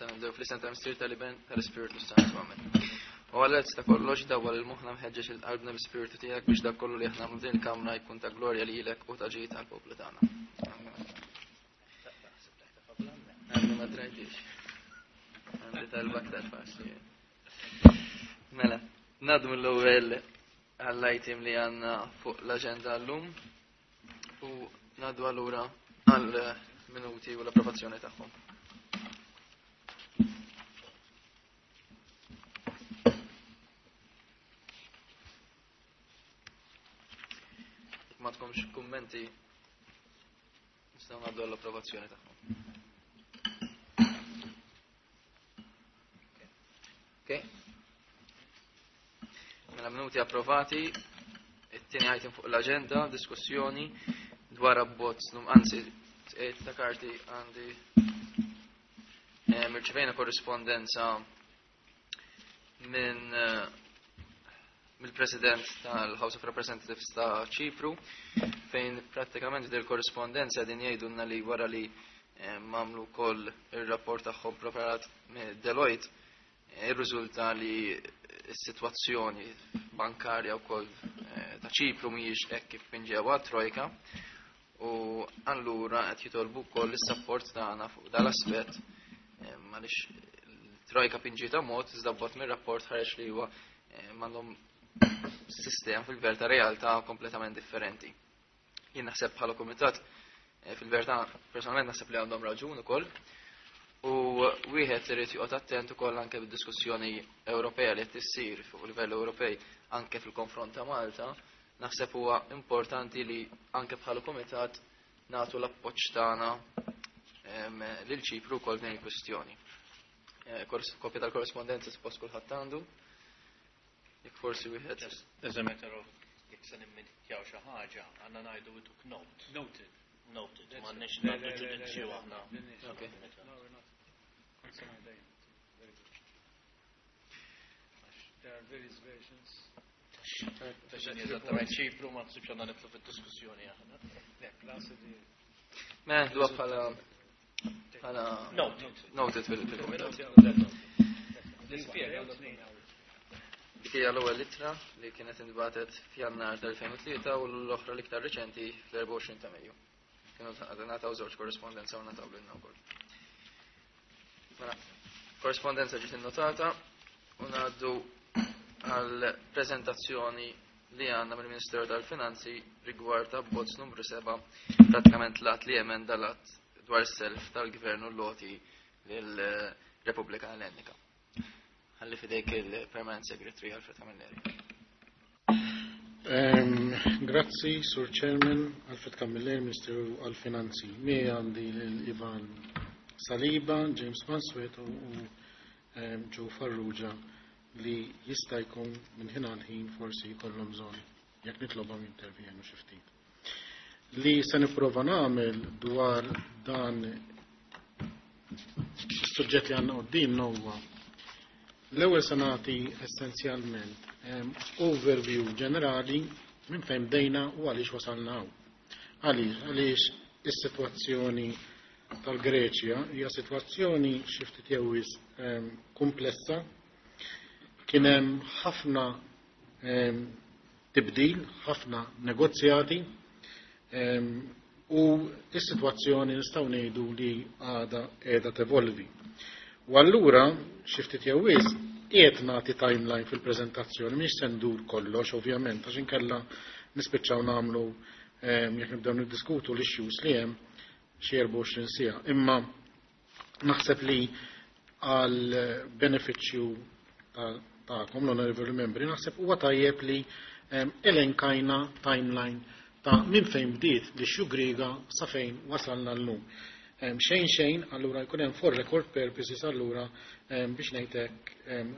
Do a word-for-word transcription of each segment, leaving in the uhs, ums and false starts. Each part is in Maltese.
Nistgħu nibdew fl-isem tal-Missier, tal-Iben, tal-Ispirtu Santu. Amen. U Alla ta' kollox, dawwal lil moħħna mħeġġeġ lil qalbna bl-Ispirtu tiegħek biex dak kollu li aħna nagħmlu din il-kamra jkun ta' glorja lilek u ta' ġid għall-poplu tagħna. Għandi ma drajtix. Għandi talba aktar faċli. Mela, ngħaddu mill-ewwel għall-item li għandna fuq l-aġenda llum u ngħaddu allura għall-minuti u l-approvazzjoni tagħhom. Ma tkomx kummenti, nistgħu ngħaddu għall-approvazzjoni tagħhom. Ok. Mela minuti approvati, it-tieni item fuq l-aġenda, diskussjoni dwar abbozz num anzi ta' karti għandi mirċevejna korrispondenza minn mill-President tal-House of Representatives ta' Ċipru, fejn prattikament del korrispondenza din jgħidulna li wara li mamlu koll ir-rapport tagħhom preparat Deloitte, irriżulta li s-sitwazzjoni bankarja wkoll ta' Ċipru mhijiex hekk kif pinġewha Trojka, u allura qed jitolbu wkoll is-sapport tagħna fuq dal-aspett għaliex Trojka pinġieta mod iżda bot mir-rapport ħareġ li huwa m'għandhom sistema fil-verità realtà kompletament differenti. Jien naħseb bħala kumitat fil-verità personalment naħseb li għandhom raġun ukoll. U wieħed irid joqgħod attent ukoll anke bid-diskussjoni Ewropea li qed issir fuq livell Ewropej anke fil-konfront ta' Malta, naħseb huwa importanti li anke bħala kumitat nagħtu l-appoġġ tagħna lil Ċipru wkoll din il-kwistjoni. Kopja tal-korrespondenza suppost kulħadd għandu. Jekk forsi wieħed. As a matter of jekk se nimminjaw xi ħaġa, għandna ngħidu we took note. Noted. Noted. M'għandniex nagħtu ġudizzju aħna. Okay. No, we're not. Very good. There are various versions. Eżattament Ċipru ma nsibx għandna nidħlu fid-diskussjoni aħna. Le, plus the Mela dwa bħala bħala Noted. Noted fil-kumitat. Nispjega. Dik hija l-ewwel ittra li kienet intbagħtet f'Jannar tal-elfejn u tlieta u l-oħra l-iktar riċenti fl-erbgħa u għoxrin ta' Mejju. Kienu ngħataw żewġ korrespondenza u ngħataw lilna wkoll. Mela, korrespondenza ġiet innotata u ngħaddu għal preżentazzjoni li għandna mill-Ministeru tal-Finanzi rigward abbozz numru seba', pratikament l-att li emenda l-att dwar is-self tal-Gvern u l-loti lill-Repubblika Ellenika. Ħalli fidejk il-Permanent Secretary Alfred Camilleri. Um, grazzi, Sur Chairman, Alfred Camilleri, Ministeru għal-Finanzi. Mi għandi l-Ivan Saliba, James Mansueto u um, Joe Farrugia li jista' jkun minn ħin għal ħin forsi jkollhom bżonn jekk nitlobhom jintervjenu xi ftit. Li se nipprova nagħmel dwar dan is-suġġett li għandna qudiemna huwa l-ewwel se nagħti essenzjalment um, overview ġenerali minn fejn bdejna u għaliex wasalna hawn. Għaliex, għaliex is-sitwazzjoni tal-Greċja hija sitwazzjoni xi ftit jew wisq um, komplessa. Kien hemm ħafna um, tibdil, ħafna negozjati, um, u s-sitwazzjoni nistgħu ngħidu li għadha qiegħda tevolvi. U allura xi ftit jew wisq qiegħed nagħti timeline fil-preżentazzjoni, mhix se ndur kollox ovvjament, għax inkella nispiċċaw nagħmlu jekk nibdew niddiskutu l-issues li hemm xi erbgħa u għoxrin siegħa. Imma naħseb li għal benefiċċju tagħkom l-onorevoli membri, naħseb huwa tajjeb li elenkajna timeline ta' minn fejn bdiet l-issue Griega sa fejn wasalna llum. Xejn xejn, allura jkun hemm for record purposes allura biex ngħidlek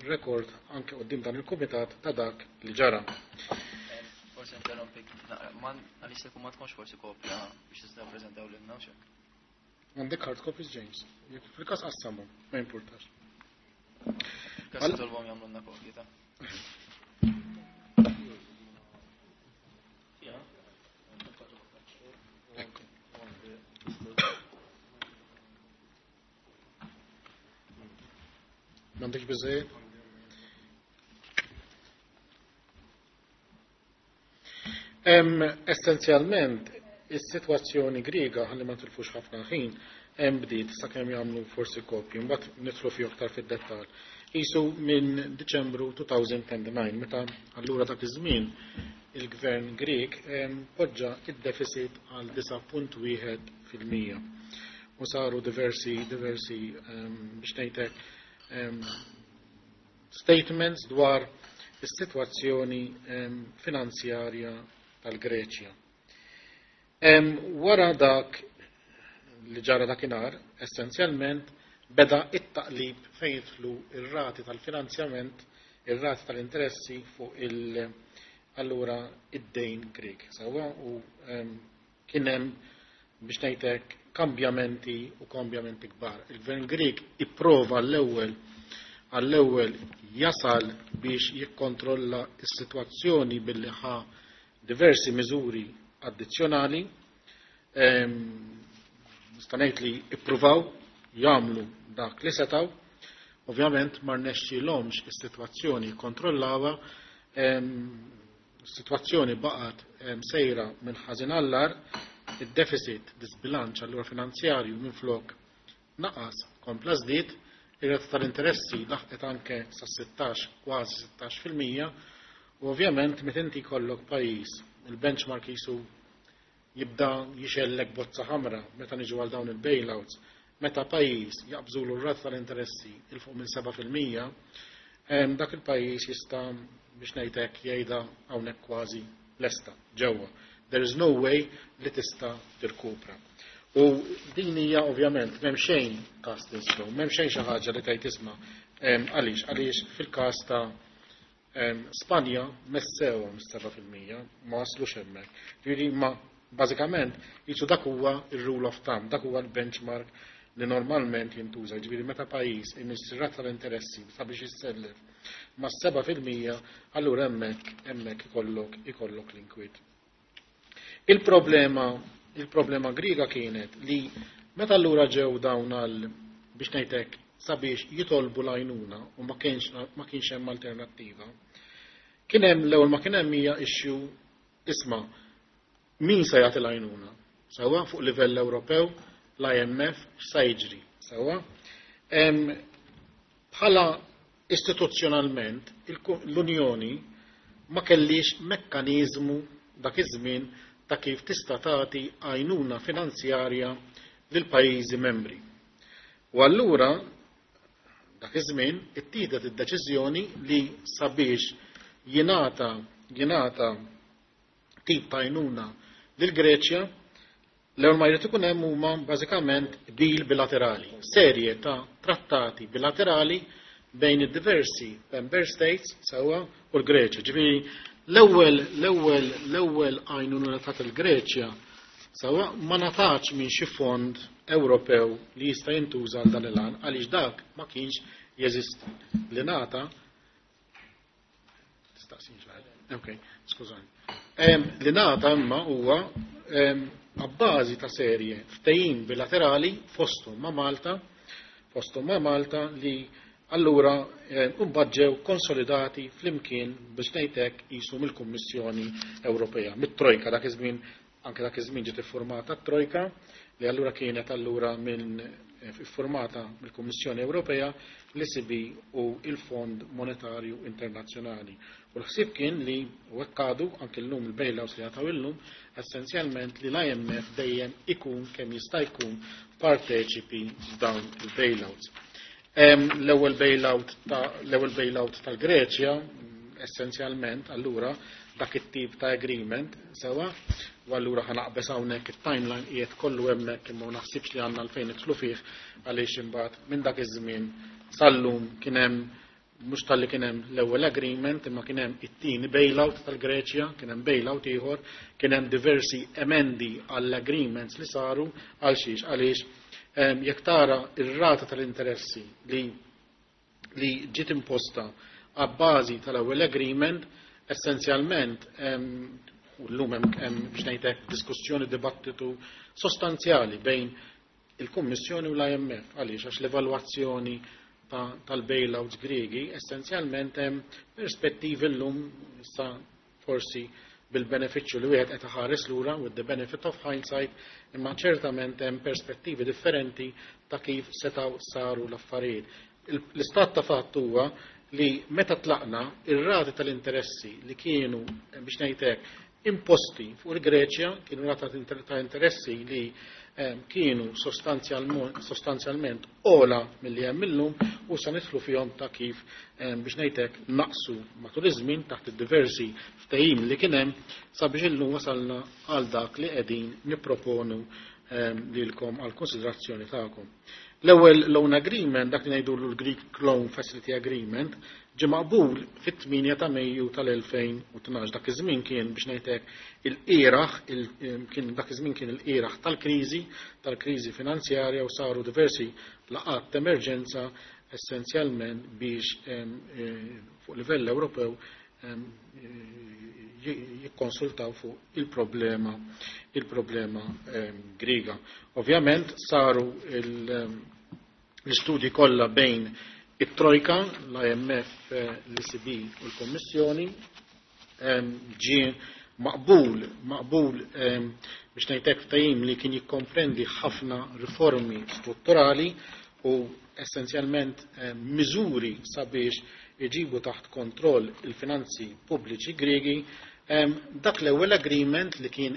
record anke quddiem dan il-kumitat ta' dak li ġara. Forsi interrompik, man għaliex se ma tkunx forsi kopja biex tistgħu preżentaw lilna u x'hekk. Għandek hard copies, James. Jekk fil-każ qassamhom, ma jimpurtax. Każ tolbhom jagħmlulna kopji ta'. Ekku. M'għandekx biżejjed? Essenzjalment, is-sitwazzjoni Griega, ħalli ma tilfux ħafna ħin, hemm bdiet sakemm jagħmlu forsi kopji, mbagħad nidħlu fih aktar fid-dettall. Isu minn Diċembru two thousand nine, meta allura dak iż-żmien il-gvern Grieg poġġa id-deficit għal disgħa punt wieħed fil-mija. U saru diversi diversi biex ngħidlek statements dwar is-sitwazzjoni finanzjarja tal-Greċja. Wara dak li ġara dakinhar, essenzjalment beda it-taqlib fejn jidħlu ir-rati tal-finanzjament, ir-rati tal-interessi fuq il- allura id-dejn Grek. Sewwa, u kien hemm, biex ngħidlek, kambjamenti u kambjamenti kbar. Il-gvern Grek ipprova l-ewwel għall-ewwel jasal biex jikkontrolla s-sitwazzjoni billi ħa diversi miżuri addizzjonali. Nista' ngħid li ippruvaw jagħmlu dak li setgħu. Ovvjament ma rnexxielhomx is-sitwazzjoni jikkontrollawha, is-sitwazzjoni baqgħet sejra minn ħażin għall-agħar, id-deficit, disbilanċ allura finanzjarju, minflok naqas kompla żdied, ir-rata tal-interessi laħqet anke sa sittax, kważi sittax fil-mija, u ovvjament meta inti jkollok pajjiż, il-benchmark jisu jibda jixgħellek bozza ħamra meta niġu għal dawn il-bailouts, meta pajjiż jaqbżulu r-rata tal-interessi 'il fuq minn seba' fil-mija, dak il-pajjiż jista', biex ngħidlek, jgħidha hawnhekk kważi lesta ġewwa. There is no way li tista' tirkupra. U din hija ovvjament m'hemm xejn cast in stone, m'hemm xejn xi ħaġa li tgħid isma' għaliex għaliex fil-każ ta' Spanja messewhom seba' fil-mija, ma waslux hemmhekk. Ġifieri ma bażikament jisu dak huwa ir-rule of thumb, dak huwa l-benchmark li normalment jintuża. Ġifieri meta pajjiż imiss rata tal-interessi sabiex jissellef ma' seba' fil-mija, allura hemmhekk hemmhekk ikollok ikollok l-inkwiet. Il-problema il-problema Griega kienet li meta allura ġew dawn għal, biex ngħidlek, sabiex jitolbu l-għajnuna u ma kienx ma kienx hemm alternattiva. Kien hemm l-ewwel ma kien hemm hija issue, isma', min se jagħti l-għajnuna? Sewwa, fuq livell Ewropew, l-I M F, x'sa jiġri? Sewwa. Bħala istituzzjonalment l-Unjoni ma kellix mekkaniżmu dak iż-żmien ta' kif tista' tagħti għajnuna finanzjarja lil pajjiżi membri. U allura dak iż-żmien ittieħdet id-deċiżjoni li sabiex jingħata jingħata tip ta' għajnuna lil Greċja, l-ewwel ma jrid ikun hemm huma bażikament deal bilaterali, serje ta' trattati bilaterali bejn id-diversi member states, sewwa, u l-Greċja. Ġifieri l-ewwel l-ewwel l-ewwel għajnuna ta' il-Greċja, sewwa, ma ngħatax minn xi fond Ewropew li jista' jintuża għal dan il-għan, għaliex dak ma kienx jeżisti. Li ngħata tistaqsinx. Ok, skużani. Li ngħata imma huwa abbażi ta' serje ftehim bilaterali fosthom ma' Malta, fosthom ma' Malta li allura mbagħad ġew konsolidati flimkien, biex ngħidlek, qisu mill-Kummissjoni Ewropea, mit-Trojka dak iż-żmien. Anke dak iż-żmien ġiet iffurmata t-Trojka li allura kienet allura minn iffurmata mill-Kummissjoni Ewropea, l-E C B u il-Fond Monetarju Internazzjonali. U l-ħsieb kien li, u hekk għadu anke llum, il-bailouts li jingħataw illum, essenzjalment li l-I M F dejjem ikun kemm jista' jkun parteċipi f'dawn il-bailouts. L-ewwel bailout ta' l-ewwel bailout tal-Greċja essenzjalment allura dak it-tip ta' agreement, sewwa, u allura ħa naqbeż hawnhekk, it-timeline qiegħed kollu hemmhekk, imma ma naħsibx li għandna għalfejn nidħlu fih, għaliex imbagħad minn dak iż-żmien sal-lum kien hemm, mhux talli kien hemm l-ewwel agreement, imma kien hemm it-tieni bailout tal-Greċja, kien hemm bailout ieħor, kien hemm diversi emendi għall-agreements li saru. Għal xiex? Għaliex jekk tara ir-rata tal-interessi li li ġiet imposta għabbażi tal-ewwel agreement, essenzjalment u llum hemm, biex ngħidlek, diskussjoni, dibattitu sostanzjali bejn il-Kummissjoni u l-I M F. Għaliex? Għax l-evalwazzjoni tal-bailouts Griegi, essenzjalment hemm perspettivi llum issa forsi bil-benefiċċju li wieħed qed iħares lura, with the benefit of hindsight, imma ċertament hemm perspettivi differenti ta' kif setgħu saru l-affarijiet. L-istat ta' fatt huwa li meta tlaqna, ir-rati tal-interessi li kienu, biex ngħidlek, imposti fuq il-Greċja kienu rata ta' interessi li kienu sostanzjalment ola milli hemm illum, u sa nidħlu fihom ta' kif, biex ngħidlek, naqsu matul iż-żmien taħt id-diversi ftehim li kien hemm sabiex illum wasalna għal dak li qegħdin nipproponu lilkom għal konsiderazzjoni tagħkom. L-ewwel loan agreement, dak li ngħidulu l-Greek Loan Facility Agreement, ġie maqbul fit-tmienja ta' Mejju tal-elfejn u tnax. Dak iż-żmien kien, biex ngħidlek, il-qiraħ, kien dak iż-żmien kien il-qiraħ tal-kriżi, tal-kriżi finanzjarja, u saru diversi laqgħat ta' emerġenza essenzjalment biex fuq livell Ewropew jikkonsultaw fuq il-problema il-problema Griega. Ovvjament saru l-istudji kollha bejn it-Trojka, l-I M F, l-E C B u l-Kommissjoni, ġie maqbul, maqbul biex ngħidlek ftehim li kien jikkomprendi ħafna riformi strutturali u essenzjalment miżuri sabiex iġibu taħt kontroll il-finanzi pubbliċi Griegi. Dak l-ewwel agreement li kien,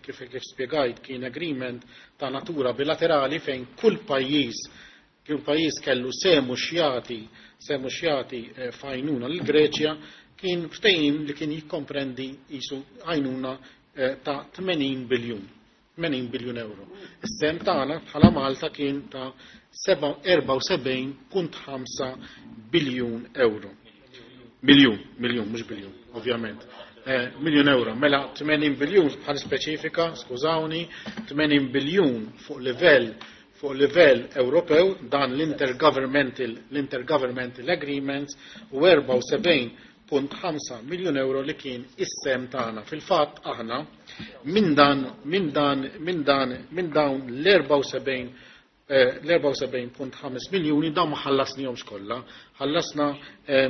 kif kif spjegajt, kien agreement ta' natura bilaterali fejn kull pajjiż kull pajjiż kellu sehmu x'jagħti sehmu x'jagħti f'għajnuna l-Greċja, kien ftehim li kien jikkomprendi jisu għajnuna ta' tmenin biljun tmenin biljun euro. Is-sehem tagħna bħala Malta kien ta' erbgħa u sebgħin punt ħamsa biljun euro. Miljun, miljun, mhux biljun, ovvjament. Eh, miljun euro. Mela tmenin biljun bħal speċifika, skużawni, tmenin biljun fuq livell fuq livell Ewropew, dan l-intergovernmental l-intergovernmental agreements, u erbgħa u sebgħin punt ħamsa miljun euro li kien is-sehem tagħna. Fil-fatt aħna minn dan minn dan minn dan minn dawn l-erbgħa u sebgħin l-erbgħa u sebgħin punt ħames miljuni, dawn ma ħallasnihomx kollha. Ħallasna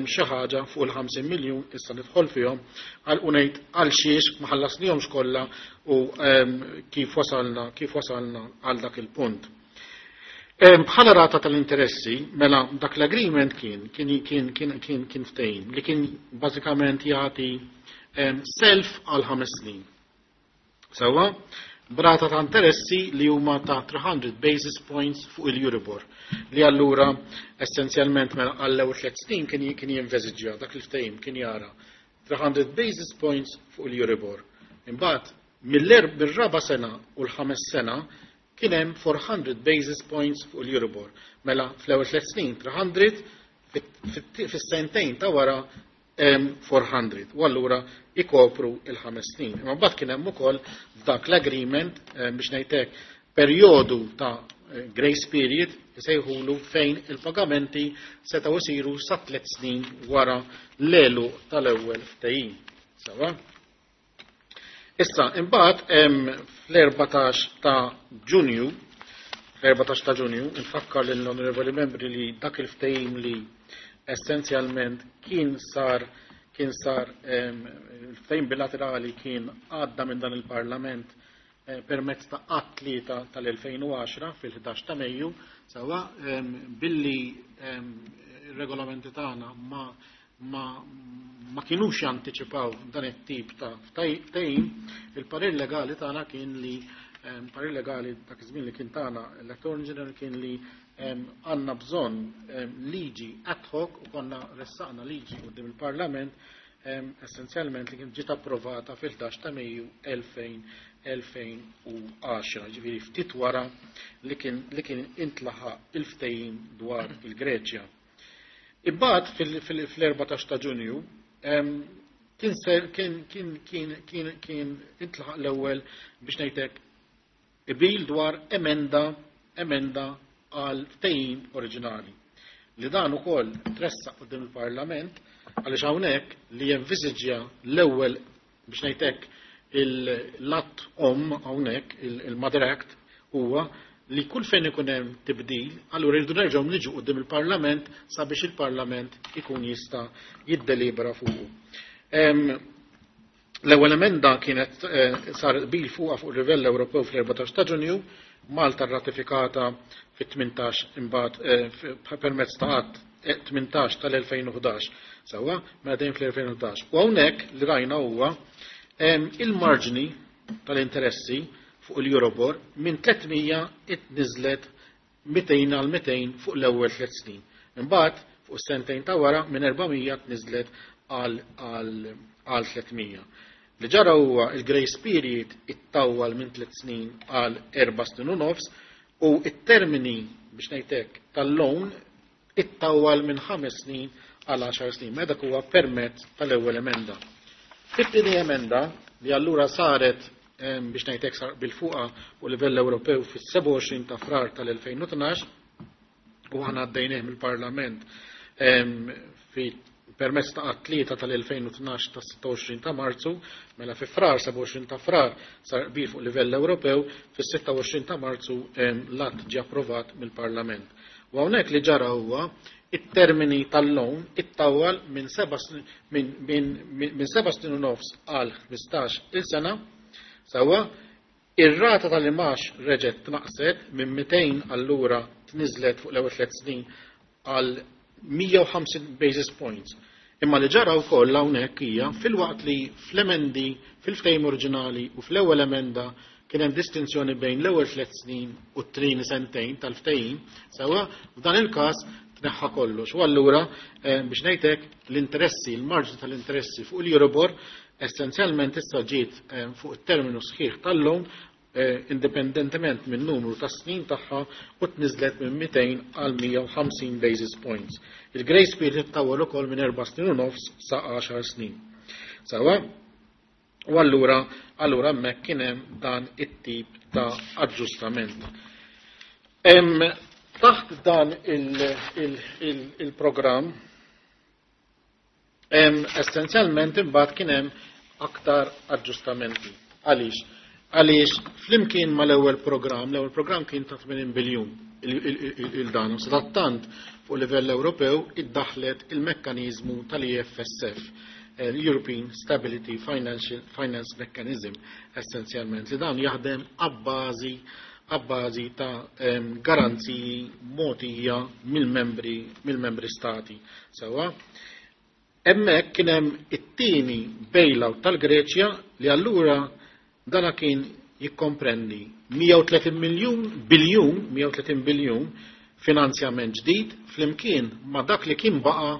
xi ħaġa fuq il-ħamsin miljun, issa nidħol fihom għal u ngħid għal xiex ma ħallasnihomx kollha u kif wasalna kif wasalna għal dak il-punt. Bħala rata tal-interessi, mela dak l-agreement kien kien kien kien kien kien ftehim li kien bażikament jagħti self għal ħames snin. Sewwa, b'rata ta' interessi li huma ta' tliet mitt basis points fuq il-Euribor. Li allura essenzjalment mela għall-ewwel tliet snin kien kien jinveżiġġja dak il-ftehim kien jara tliet mitt basis points fuq il-Euribor. Imbagħad mill-raba sena u l-ħames sena kien hemm erba' mitt basis points fuq il-Euribor. Mela fl-ewwel tliet snin tliet mitt, fis-sentejn ta' wara erba' mitt. U allura ikopru il-ħames snin. Imma mbagħad kien hemm ukoll f'dak l-agreement, biex ngħidlek, perjodu ta' grace period isejħulu, fejn il-pagamenti setgħu isiru sa tliet snin wara l-għeluq tal-ewwel ftehim. Sewwa? Issa, imbagħad hemm fl-erbatax ta' Ġunju, fl-erbatax ta' Ġunju, infakkar lill-onorevoli membri li dak il-ftehim li essenzjalment kien sar kien sar il-ftehim bilaterali kien għadda minn dan il-Parlament permezz ta' Att tlieta tal-elfejn u għaxra fil-ħdax ta' Mejju, sewwa, billi ir-regolamenti tagħna ma ma ma kienux jantiċipaw dan it-tip ta' ftehim, il-parir legali tagħna kien li, parir legali dak iż-żmien li kien tagħna l-Attorney General, kien li għandna bżonn liġi ad hoc, u konna ressaqna liġi quddiem il-Parlament essenzjalment li kien ġiet approvata fil-ħdax ta' Mejju elfejn u għaxra, ġifieri ftit wara li kien li kien intlaħaq il-ftehim dwar il-Greċja. Imbagħad fil-erbatax ta' Ġunju kien kien kien kien kien kien intlaħaq l-ewwel, biex ngħidlek, qbil dwar emenda emenda għal ftehim oriġinali. Li dan ukoll tressaq quddiem il-Parlament, għaliex hawnhekk li jenviżiġja l-ewwel, biex ngħidlek, l-att om hawnhekk, il-Mother Act, huwa li kull fejn ikun hemm tibdil, allura jridu nerġgħu niġu quddiem il-Parlament sabiex il-Parlament ikun jista' jiddelibera fuqu. L-ewwel emenda kienet sar qbil fuqha fuq il-livell Ewropew fl-erbatax ta' Ġunju, Malta rratifikata fit-tmintax imbagħad permezz ta' att tmintax tal-elfejn u ħdax, sewwa, mela dejjem fl-elfejn u ħdax. U hawnhekk li rajna huwa il-marġni tal-interessi fuq il-Euribor minn tliet mija itniżlet mitejn għal mitejn fuq l-ewwel tliet snin. Imbagħad fuq is-sentejn ta' wara minn erba' mija tniżlet għal tliet mija. Li ġara huwa il-grace period ittawwal minn tliet snin għal erba' snin u nofs u it-termini biex ngħidlek tal-loan ittawwal minn ħames snin għal għaxar snin. Mela dak huwa permezz tal-ewwel emenda. Fit-tieni emenda li allura saret biex ngħidlek sar bil-fuqa fuq livell Ewropew fis-sebgħa u għoxrin ta' Frar tal-elfejn u tnax u aħna għaddejnieh mill-Parlament fi permezz ta' att tlieta tal-elfejn u tnax ta' sitta u għoxrin ta' Marzu, mela fi Frar, sebgħa u għoxrin ta' Frar sar qbil fuq livell Ewropew, fis-sitta u għoxrin ta' Marzu l-att ġie approvat mill-Parlament. U hawnhekk li ġara huwa it-termini tal-loan ittawwal minn seba' snin, minn, minn, minn seba' snin u nofs għal ħmistax il sena, sewwa ir-rata tal-imax reġgħet tnaqset minn mitejn allura tniżlet fuq l-ewwel tliet snin għal mija u ħamsin basis points. Imma li ġara wkoll hawnhekk hija filwaqt li fl-emendi fil-ftehim oriġinali u fl-ewwel emenda kien hemm distinzjoni bejn l-ewwel tliet snin u t-tieni sentejn tal-ftehim, sewwa f'dan il-każ tneħħa kollox. U allura, eh, biex ngħidlek l-interessi, il-marġni tal-interessi fuq il-Euribor essenzjalment issa ġiet, eh, fuq it-terminu sħiħ tal-loan, eh, indipendentement minn numru ta' snin tagħha u tniżlet minn mitejn għal mija u ħamsin basis points. Il-grace period ittawwal ukoll minn erba' snin u nofs sa għaxar snin. Sewwa, u allura, allura hemmhekk kien hemm dan it-tip ta' aġġustament. Hemm taħt dan il-, il-, il-, il-programm hemm essenzjalment imbagħad kien hemm aktar aġġustamenti. Għaliex? Għaliex flimkien mal-ewwel programm, l-ewwel programm kien ta' tmenin biljun il-, il-, il-, il-dan, u sadattant fuq livell Ewropew iddaħlet il-mekkaniżmu tal-E F S F, l-European Stability Financial Finance Mechanism, essenzjalment li dan jaħdem abbażi, abbażi ta', em, garanziji mogħtija mill-membri, mill-membri stati. Sewwa, hemmhekk kien hemm it-tieni bailout tal-Greċja li allura dana kien jikkomprendi mija u tletin miljun biljun, mija u tletin biljun finanzjament ġdid flimkien ma' dak li kien baqa'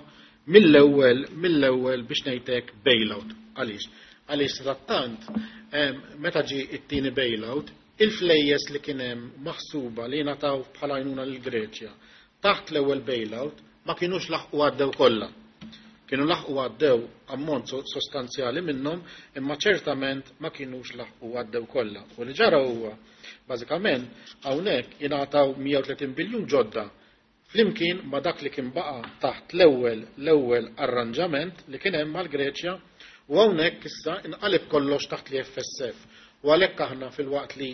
mill-ewwel, mill-ewwel biex ngħidlek bailout. Għaliex? Għaliex sadattant, em, meta ġie it-tieni bailout, il-flejjes li kien hemm maħsuba li ngħataw bħala għajnuna lill-Greċja taħt l-ewwel bailout ma kinux laħqu għaddew kollha. Kienu laħqu għaddew ammont so-, sostanzjali minnhom, imma ċertament ma kinux laħqu għaddew kollha. U li ġara huwa bażikament hawnhekk ingħataw mija u tletin biljun ġodda flimkien ma dak li kien baqa' taħt l-ewwel, l-ewwel arranġament li kien hemm mal-Greċja, u hawnhekk issa inqaleb kollox taħt l-E F S F. U għalhekk aħna fil-waqt li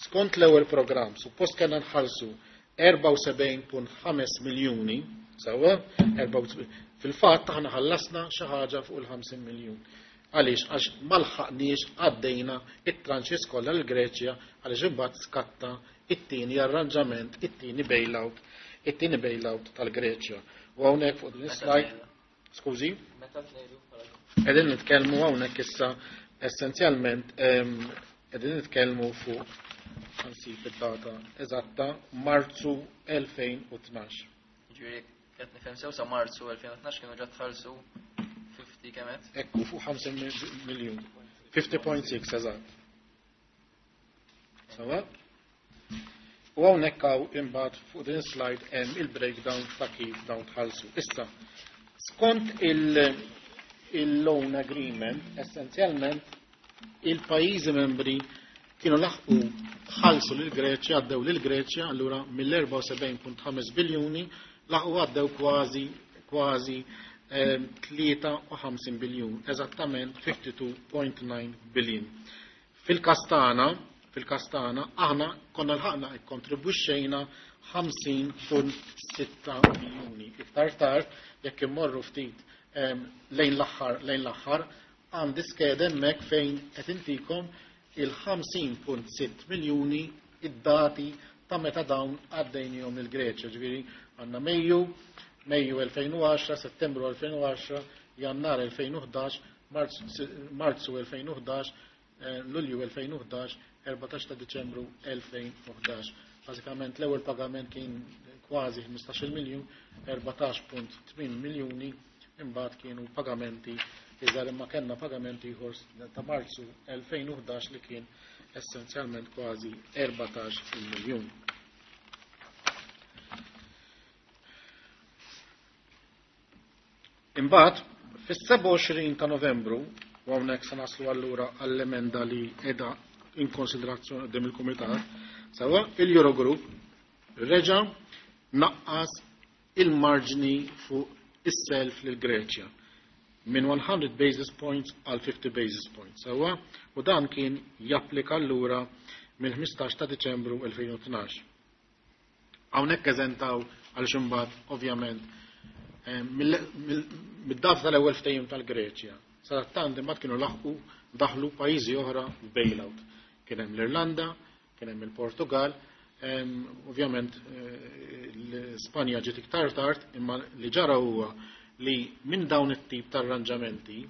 skont l-ewwel programm suppost kellna nħallsu erbgħa u sebgħin punt ħames miljuni, sewwa, erbgħa u sebgħin, fil-fatt aħna ħallasna xi ħaġa fuq il-ħamsin miljun. Għaliex? Għax ma lħaqniex għaddejna it-tranches kollha l-Greċja għaliex imbagħad skatta it-tieni arranġament, it-tieni bailout, it-tieni bailout tal-Greċja. U hawnhekk fuq din is-slide, skużi, qegħdin nitkellmu hawnhekk issa essenzjalment, em, qegħdin nitkellmu fuq nsib id-data eżatta Marzu elfejn u tnax. Ġifieri qed nifhem sew sa Marzu elfejn u tnax kienu ġa tħallsu fifty kemm qed? Ekku, fuq ħamsin miljun. fifty point six eżatt. Sawa? U hawnhekk hawn imbagħad fuq din slide hemm il-breakdown ta' kif dawn tħallsu. Issa, skont il-, il-loan agreement, essenzjalment il-pajjiżi membri kienu laħqu ħallsu lil Greċja, għaddew lil Greċja, allura mill-erbgħa u sebgħin punt ħames biljuni laħqu għaddew kważi, kważi, ehm, tlieta u ħamsin biljun, eżattament fifty-two point nine billion. Fil-każ tagħna, Fil-każ tagħna aħna konna lħaqna ikkontribwixxejna ħamsin punt sitta miljuni. Iktar tard jekk immorru ftit lejn l-aħħar lejn l-aħħar għandi skeda hemmhekk fejn qed intikom il-ħamsin punt sitt miljuni id-dati ta' meta dawn għaddejnihom il-Greċja. Ġifieri għandna Mejju, Mejju elfejn u għaxra, Settembru elfejn u għaxra, Jannar elfejn u ħdax, Marzu elfejn u ħdax, Lulju elfejn u ħdax, erbatax ta' Diċembru elfejn u ħdax. Bażikament l-ewwel pagament kien kważi ħmistax-il miljun, erbatax punt tmien miljuni, imbagħad kienu pagamenti iżgħar, imma kellna pagamenti ieħor ta' Marzu elfejn u ħdax li kien essenzjalment kważi erbatax il miljun. Imbagħad fis-sebgħa u għoxrin ta' Novembru, u hawnhekk se naslu allura għall-emenda li qiegħda in konsiderazzjoni qudiem il-Kumitat, sewwa il-Eurogroup reġa' naqqas il-marġni fuq is-self lil Greċja minn one hundred basis points għal fifty basis points. Sewwa, u dan kien japplika allura mill-ħmistax ta' Diċembru elfejn u tnax. Hawnhekk eżentaw għal imbagħad ovvjament mid-data tal-ewwel ftehim tal-Greċja. Sadattant imbagħad kienu laħqu daħlu pajjiżi oħra bailout. Kien hemm l-Irlanda, kien hemm il-Portugal, ovvjament l-Spanja ġiet iktar tard, imma li ġara huwa li minn dawn it-tip ta' arranġamenti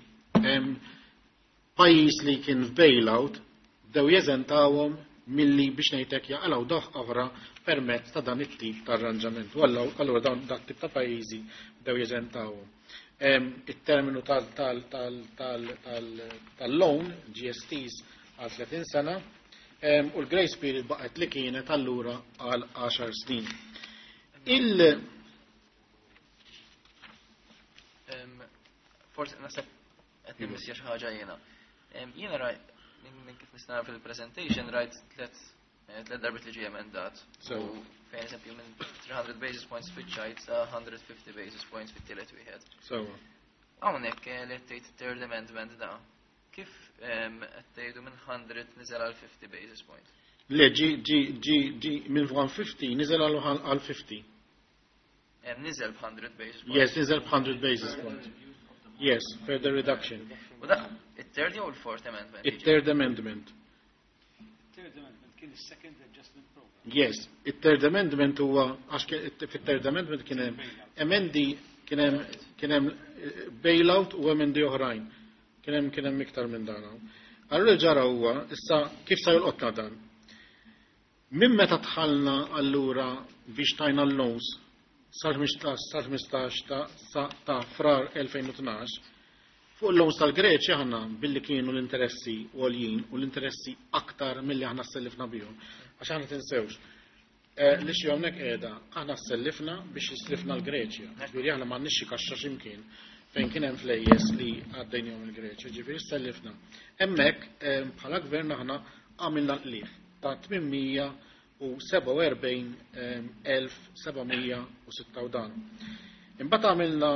pajjiż li kien f'bailout bdew jeżentawhom milli biex ngħidlek jaqalgħu daħ oħra permezz ta' dan it-tip ta' arranġament. U allura dawn dat tip ta' pajjiżi bdew jeżentawhom. It-terminu tal-loan, G S Ts, għal tletin sena, u l-grace period baqgħet li kienet allura għal għaxar snin. Il- Forsi naħseb qed nimmissja xi ħaġa jiena. Jiena rajt minn kif nista' nara fil-presentation rajt tliet, tliet darbiet li ġie emendat. So. U fejn eżempju minn three hundred basis points spiċċajt sa hundred fifty basis points fit-tielet wieħed. So. Hawnhekk li qed tgħid third amendment da. Kif qed tgħidu minn hundred niżel għal fifty basis points? Le, ġi, ġi, ġi, ġi minn one fifty niżel għal fifty. Em, niżel b'hundred basis points. Yes, niżel b'hundred basis points. Yes, further reduction. U da, it-third jew il-fourth amendment? It-third amendment. Third amendment kien is-second adjustment program. Yes, it-third amendment huwa għax fit-third amendment kien hemm emendi, kien hemm, kien hemm bailout u emendi oħrajn. Kien hemm, kien hemm iktar minn dan hawn. Allura ġara huwa issa kif sa jolqotna dan? Minn meta dħalna allura biex tajna l-loans sal-ħmistax ta', ta' frar elfejn u tnax, fuq il-loans tal-Greċja aħna billi kienu l-interessi għoljin u l-interessi aktar milli aħna sellifna bihom. Għax aħna tinsewx, eh, li xi hawnhekk qiegħda aħna sellifna biex jislifna l-Greċja. Ġifieri aħna m'għandniex xi kaxxa x'imkien fejn kien hemm flejjes li għaddejnihom il-Greċja, ġifieri sellifna. Hemmhekk, eh, bħala gvern aħna għamilna l-qligħ ta' tmien u sebgħa u erbgħin elf seba' mija u sitta u dan. Imbagħad għamilna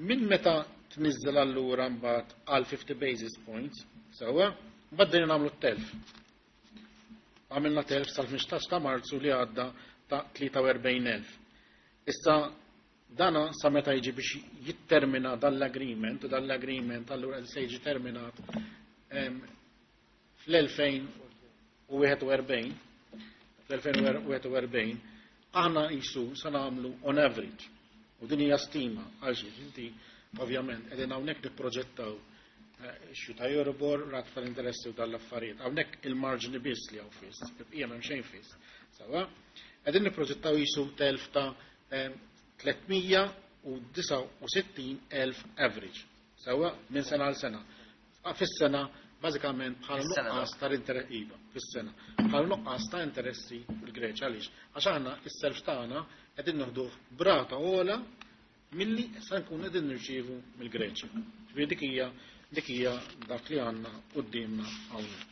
minn meta tniżżel allura mbagħad għal fifty basis points, sewwa, mbagħad bdejna nagħmlu t-telf. Għamilna telf sal-ħmistax ta' Marzu li għadda ta' tlieta u erbgħin elf. Issa dana sa meta jiġi biex jittermina dan l-agreement, u dan l-agreement allura se jiġi terminat, em, fl-elfejn u wieħed u erbgħin, fl-elfejn u wieħed u erbgħin, aħna jisu sa nagħmlu on average. U din hija stima għal xiex inti ovvjament qegħdin hawnhekk nipproġettaw, eh, xu ta' Euribor, rata tal-interessi u dal-affarijiet. Hawnhekk il-marġni biss li hawn fiss, il-bqija m'hemm xejn fiss. Sawa? Qegħdin nipproġettaw jisu telf ta', eh, tliet mija u disgħa u sittin elf average. Sawa? Minn sena għal sena. Fis-sena bażikament bħala Fis-sena, nuqqas da. tal-interess, iva, fis-sena. Bħala nuqqas ta' interessi fil-Greċja għaliex? Għax aħna is-self tagħna qegħdin noħduh brata ogħla milli sa nkun qegħdin nirċievu mill-Greċja. Ġifieri dik hija, dik hija dak li għandna quddiemna hawnhekk.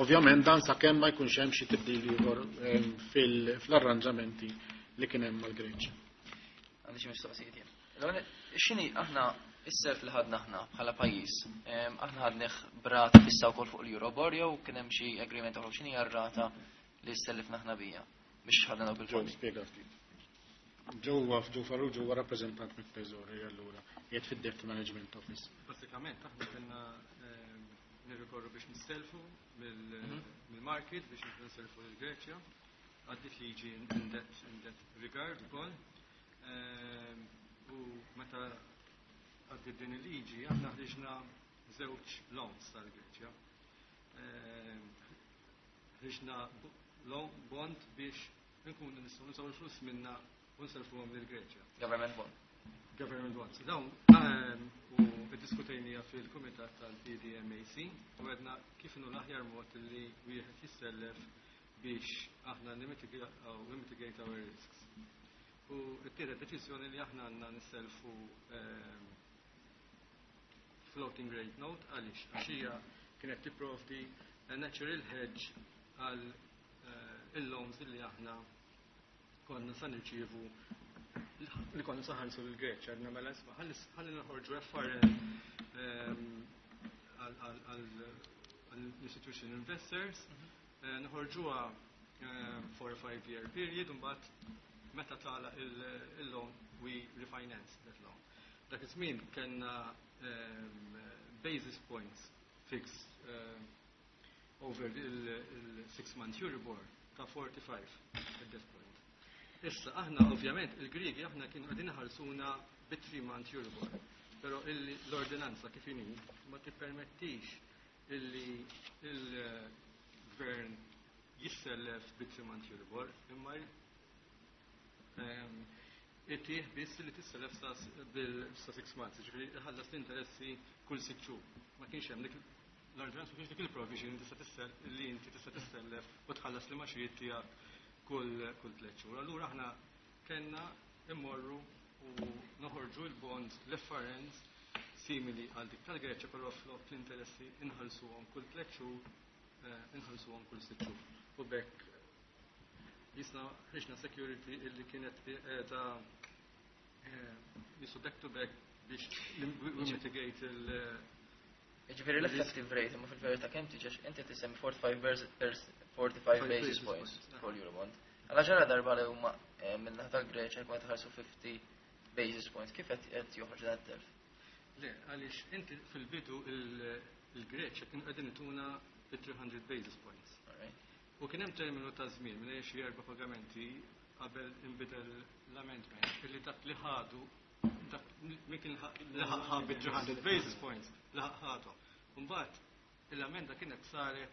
Ovvjament dan sakemm ma jkunx hemm xi tibdil ieħor, ehm, fil-, fl-arranġamenti li kien hemm mal-Greċja. Għandi xi mistoqsijiet jien. L-ewwel, x'inhi aħna Is-self li ħadna aħna bħala pajjiż, em, aħna ħadnih b'rata fissa wkoll fuq l-Euribor jew kien hemm xi agreement oħra, x'inhi r-rata li sellifna aħna bija biex ħadna dawk Joe, il-fondi? Spiega ftit. Joe Joe Farrugia huwa rappreżentant mit-Teżori allura, qiegħed fid-Debt Management Office. Basikament, aħna kellna ehm, nirrikorru biex nistelfu mill- Mhm. mill-market biex nistelfu l-Greċja. Għaddit liġi in that, in that regard ukoll. Ehm, U meta għaddit din il-liġi, aħna ħriġna żewġ loans tal-Greċja. Ehm, Ħriġna bo- loan bond biex nkunu nistgħu nużaw il-flus minna u nselfuhom lill-Greċja. Government bond. Government bonds. Dawn ehm, u iddiskutejnija fil-kumitat tal-P D M A C u għedna kif inhu l-aħjar mod li wieħed jissellef biex aħna nimitigate our risks. U ttieħdet deċiżjoni li aħna għandna nisselfu ehm, floating rate note. Għaliex? Għax hija kienet tipprovdi a natural hedge għal eh, il-loans li aħna konna sa nirċievu, li konna sa nħallsu l-Greċja. Għedna mela isma', ħalli noħorġu F R N ehm, għall-institution investors, eh, noħorġuha ehm, for a five year period, u mbagħad meta tagħlaq il-loan we refinance that loan. Dak iż-żmien kellna ehm, basis points fixed ehm, over il-six month Euribor ta' forty-five at that point. Issa, aħna ovvjament, il-Griegi aħna kienu qegħdin iħallsuna bi three month Euribor. Però illi l-ordinanza kif inhi ma tippermettix illi il-gvern jissellef bi three month Euribor, imma ehm, itih biss li tissellef sa bil- sa six months, ġifieri ħallas l-interessi kull sitt xhur. Ma kienx hemm dik l-ordinanza, ma kienx dik il-provision li tista' tissel li inti tista' tissellef u tħallas l-imgħaxijiet tiegħek kull kull tliet xhur. Allura aħna kellna immorru u noħorġu l-bonds, l-F R Ns simili għal dik tal-Greċja, però flok l-interessi inħallsuhom kull tliet xhur, eh, inħallsuhom kull sitt xhur. U b'hekk jisna ħriġna security illi kienet qiegħda jisu back to back biex we mitigate il- Ġifieri l-effective rate, imma fil-verità kemm tiġi, inti tisemmi forty-five vers- pers- forty-five Five basis basis points points, for Eurobond. Għala ġara darba li huma eh, minn tal-Greċja jkun qed iħallsu fifty basis points, kif qed qed joħroġ dan it-telf? Le, għaliex inti fil-bidu il- il-Greċja kienu qegħdin ituna bi three hundred basis points. Alright. U kien hemm terminu ta' żmien minn xi erba' pagamenti qabel inbidel l-amendment illi dak li ħadu, dak min kien laħaq ħa bi three hundred basis points laħaq ħadu. Mbagħad l-amenda kienet saret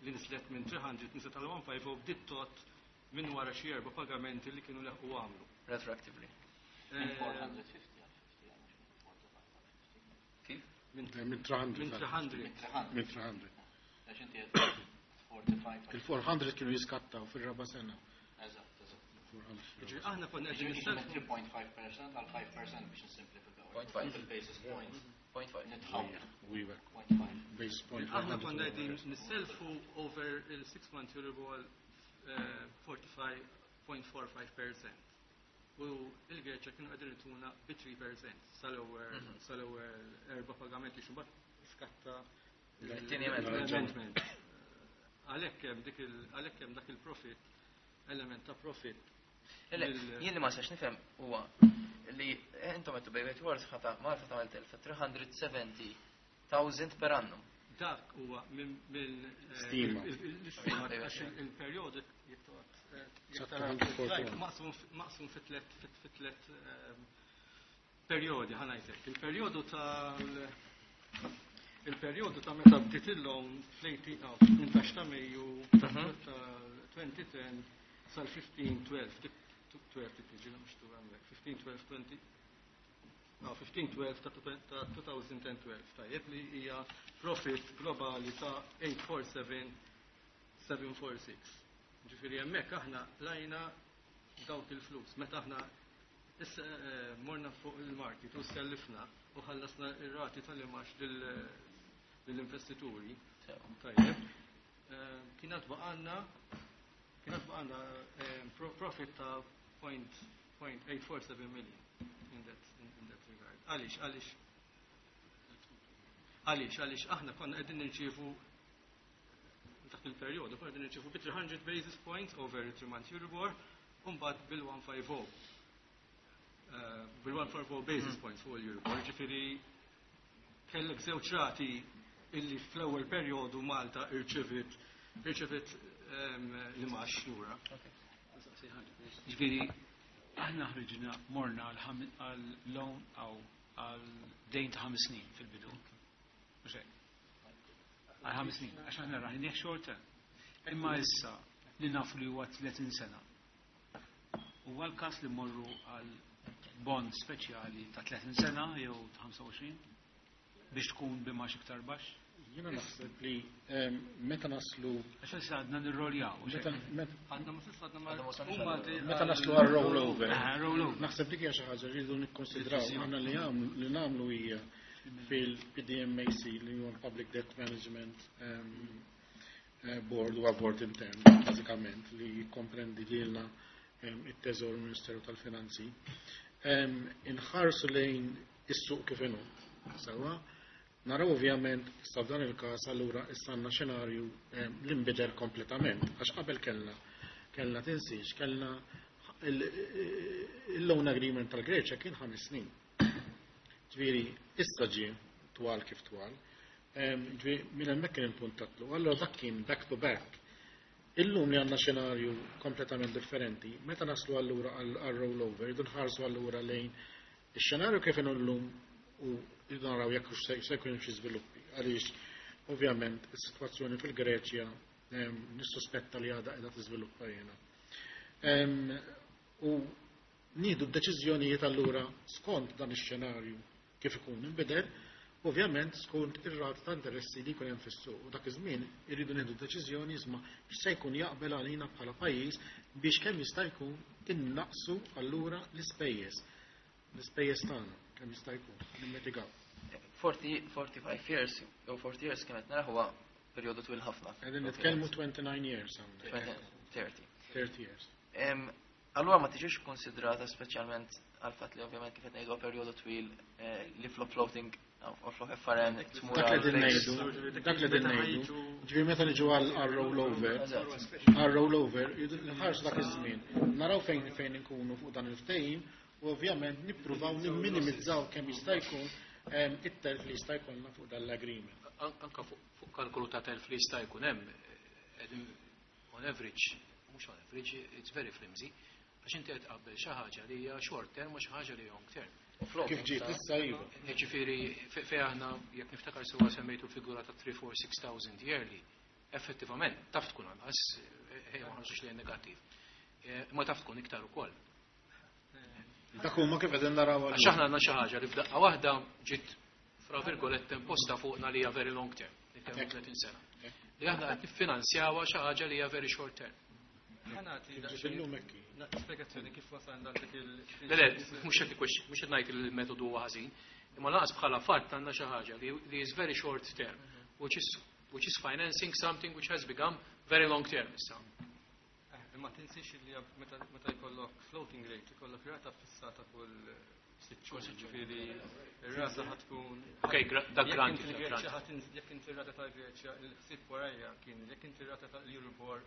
li nislet minn three hundred nislet għal one point five u bdiet tot minn wara xi erba' pagamenti li kienu laħqu għamlu. Retroactively. Minn Eh, four hundred fifty għal fifty, għal mhux minn forty-five għal fifty. Kif? Minn Minn three hundred. Minn three hundred. Minn three hundred. Minn three hundred. Għax inti qed forty-five. Il-four hundred kienu jiskattaw fil-raba sena. Eżatt, eżatt. four hundred. Ġifieri aħna konna qegħdin Ġifieri minn nisselfu three point five percent għal five percent biex nisimplifikaw. zero point five. Il-basis points zero point five. nitħawlu. We were. zero point five. Basis point. Aħna konna qegħdin nisselfu over il-six month Euribor eh, forty-five point four five percent. U il-Greċja kienu qegħdin ituna bi three percent sal-ewwel Mhm. sal-ewwel erba' pagamenti, xi skatta Il-tieni amendment. l-amendment. Għalhekk hemm dik il għalhekk hemm dak il-profit, element ta' profit. Le, mill- jien li ma sax nifhem huwa li intom qed bejn wieħed ħata Malta tagħmel telf ta' three hundred seventy thousand per annum. Dak huwa minn minn eh, Stima. il- il- l-istima għax il- il-perjodu jekk toqgħod, eh, jekk tara two hundred forty-one. maqsum maqsum fi tliet fi tliet ehm, perjodi, ħa ngħidlek. Il-perjodu tal il-perjodu ta' meta bdiet il-loan fl-tmintax ta' Mejju ta' Mhm. elfejn u għaxra sal-fifteen twelve, dik twelve dik tiġi mhux tu hemmhekk, fifteen twelve twenty, no, fifteen twelve ta' ta' twenty twelve, tajjeb, li hija profit globali ta' eight four seven seven four six. Ġifieri hemmhekk aħna lajna dawk il-flus. Meta aħna issa eh, morna fuq il-market u sellifna u ħallasna ir-rati tal-imgħax lill-investituri, tajjeb, eh, kienet baqgħalna kienet baqgħalna eh, pro- profit ta' zero point eight four seven million in that, in, in that regard. Għaliex, għaliex Għaliex, għaliex aħna konna qegħdin nirċievu dak il-perjodu, konna qegħdin nirċievu bi three hundred basis points over three month Euribor, u mbagħad bil-one fifty. Bil-one forty basis points fuq il-Euribor, ġifieri kellek żewġ rati illi fl-ewwel perjodu Malta irċevit irċevit l-imgħax lura. Ġifieri, aħna ħriġna, morna għal loan għaw għal dejn ta' ħames snin fil-bidu. Mhux hekk? Għal ħames snin, għax aħna rajnieh short term. Imma issa li nafu li huwa tletin sena. Huwa l-każ li morru għal bond speċjali ta' tletin sena jew ta' ħamsa u għoxrin biex tkun b'imgħax iktar baxx? Jiena naħseb li em, meta naslu Għax issa għadna nirroljaw. Mhux meta hekk? Meta Għadna ma s'issa għadna ma Għadna ma wasalniex huma għal- di- meta naslu għal rollover. Ah, rollover. Naħseb dik hija xi ħaġa li rridu nikkonsidraw. Aħna li għamlu li nagħmlu hija fil-P D M A C, li huwa Public Debt Management um, eh, Board, huwa board intern bażikament li jikkomprendi lilna, um, it-Teżor u Ministeru tal-Finanzi. Um, inħarsu lejn is-suq kif inhu. Sewwa, naraw ovvjament issa f'dan il-każ allura issa għandna xenarju em, li nbidel kompletament, għax qabel kellna kellna tinsiex, kellna il-loan agreement tal-Greċja kien ħames snin. Ġifieri, issa ġie twal kif twal. Em, Ġifieri, minn hemmhekk kien il-punt tatlu. Allora dak kien back to back. Illum li għandna xenarju kompletament differenti, meta naslu allura għal rollover, rridu nħarsu allura lejn ix-xenarju kif inhu llum u rridu naraw jekk hux se se jkun hemm xi żviluppi. Għaliex ovvjament is-sitwazzjoni fil-Greċja em, nissuspetta li għadha qiegħda tiżviluppa jiena. Em, U nieħdu d-deċiżjonijiet allura skont dan ix-xenarju kif ikun inbidel, ovvjament skont ir-rata ta' interessi li jkun hemm fis-suq. U dak iż-żmien irridu nieħdu deċiżjoni isma' x'se jkun jaqbel għalina bħala pajjiż biex kemm jista' jkun innaqsu allura l-ispejjeż. L-ispejjeż tagħna kemm jista' jkun nimmitigaw. forty, forty-five years, jew forty years kienet nara huwa perjodu twil ħafna. Qegħdin nitkellmu twenty-nine years hawnhekk. thirty. thirty years. Em, Allura ma tiġix konsidrata, speċjalment għal fatt li ovvjament kif qed ngħidu perjodu twil, eh, li flok floating u flok F R N tmur Dak li għal qegħdin fixed. ngħidu, dak li qegħdin ngħidu, ġifieri meta niġu għal għal rollover, Eżatt. għal rollover, nħarsu dak iż-żmien. Naraw fejn fejn inkunu fuq dan il-ftehim u ovvjament nippruvaw nimminimizzaw kemm jista' jkun em, it-telf li jista' jkollna fuq dan l-agreement. An- Anka fuq fuq kalkolu ta' telf li jista' jkun hemm, eh, qegħdin on average, mhux on average, it's very flimsy, għax inti qed tqabbel xi ħaġa li hija short term u xi ħaġa li hija long term. U floating Kif ġiet sa- issa iva. Ġifieri fe fe aħna, jekk niftakar sewwa, semmejtu figura ta' three four six thousand yearly, effettivament taf tkun anqas, eh, ejja ma ħarsux lejn negattiv. Eh, Ma taf tkun iktar ukoll. Dak huma kif qegħdin naraw. Għax aħna għandna xi ħaġa li f'daqqa waħda ġiet fra virgolette imposta fuqna li hija very long term, nitkellmu tletin sena. Li aħna qed niffinanzjawha xi ħaġa li hija very short term. Ħa nagħti Kif ġiet daqsxejn- illum hekk hi. na- spjegazzjoni kif wasalna għal dik il- Le, le, mhux qed ikwex- mhux qed ngħid li l-metodu huwa ħażin, imma lanqas bħala fatt għandna xi ħaġa li li is very short term, which is which is financing something which has become very long term issa. Eh, Imma tinsiex li meta meta jkollok floating rate, jkollok rata fissata kull sitt xhur, ġifieri ir-rata ħa tkun Ok, gra- dak Jekk granted, inti dak l-Greċja granted. ħa tinz- jekk inti r-rata tal-Greċja, il-ħsieb warajja kien jekk inti r-rata tal-Euribor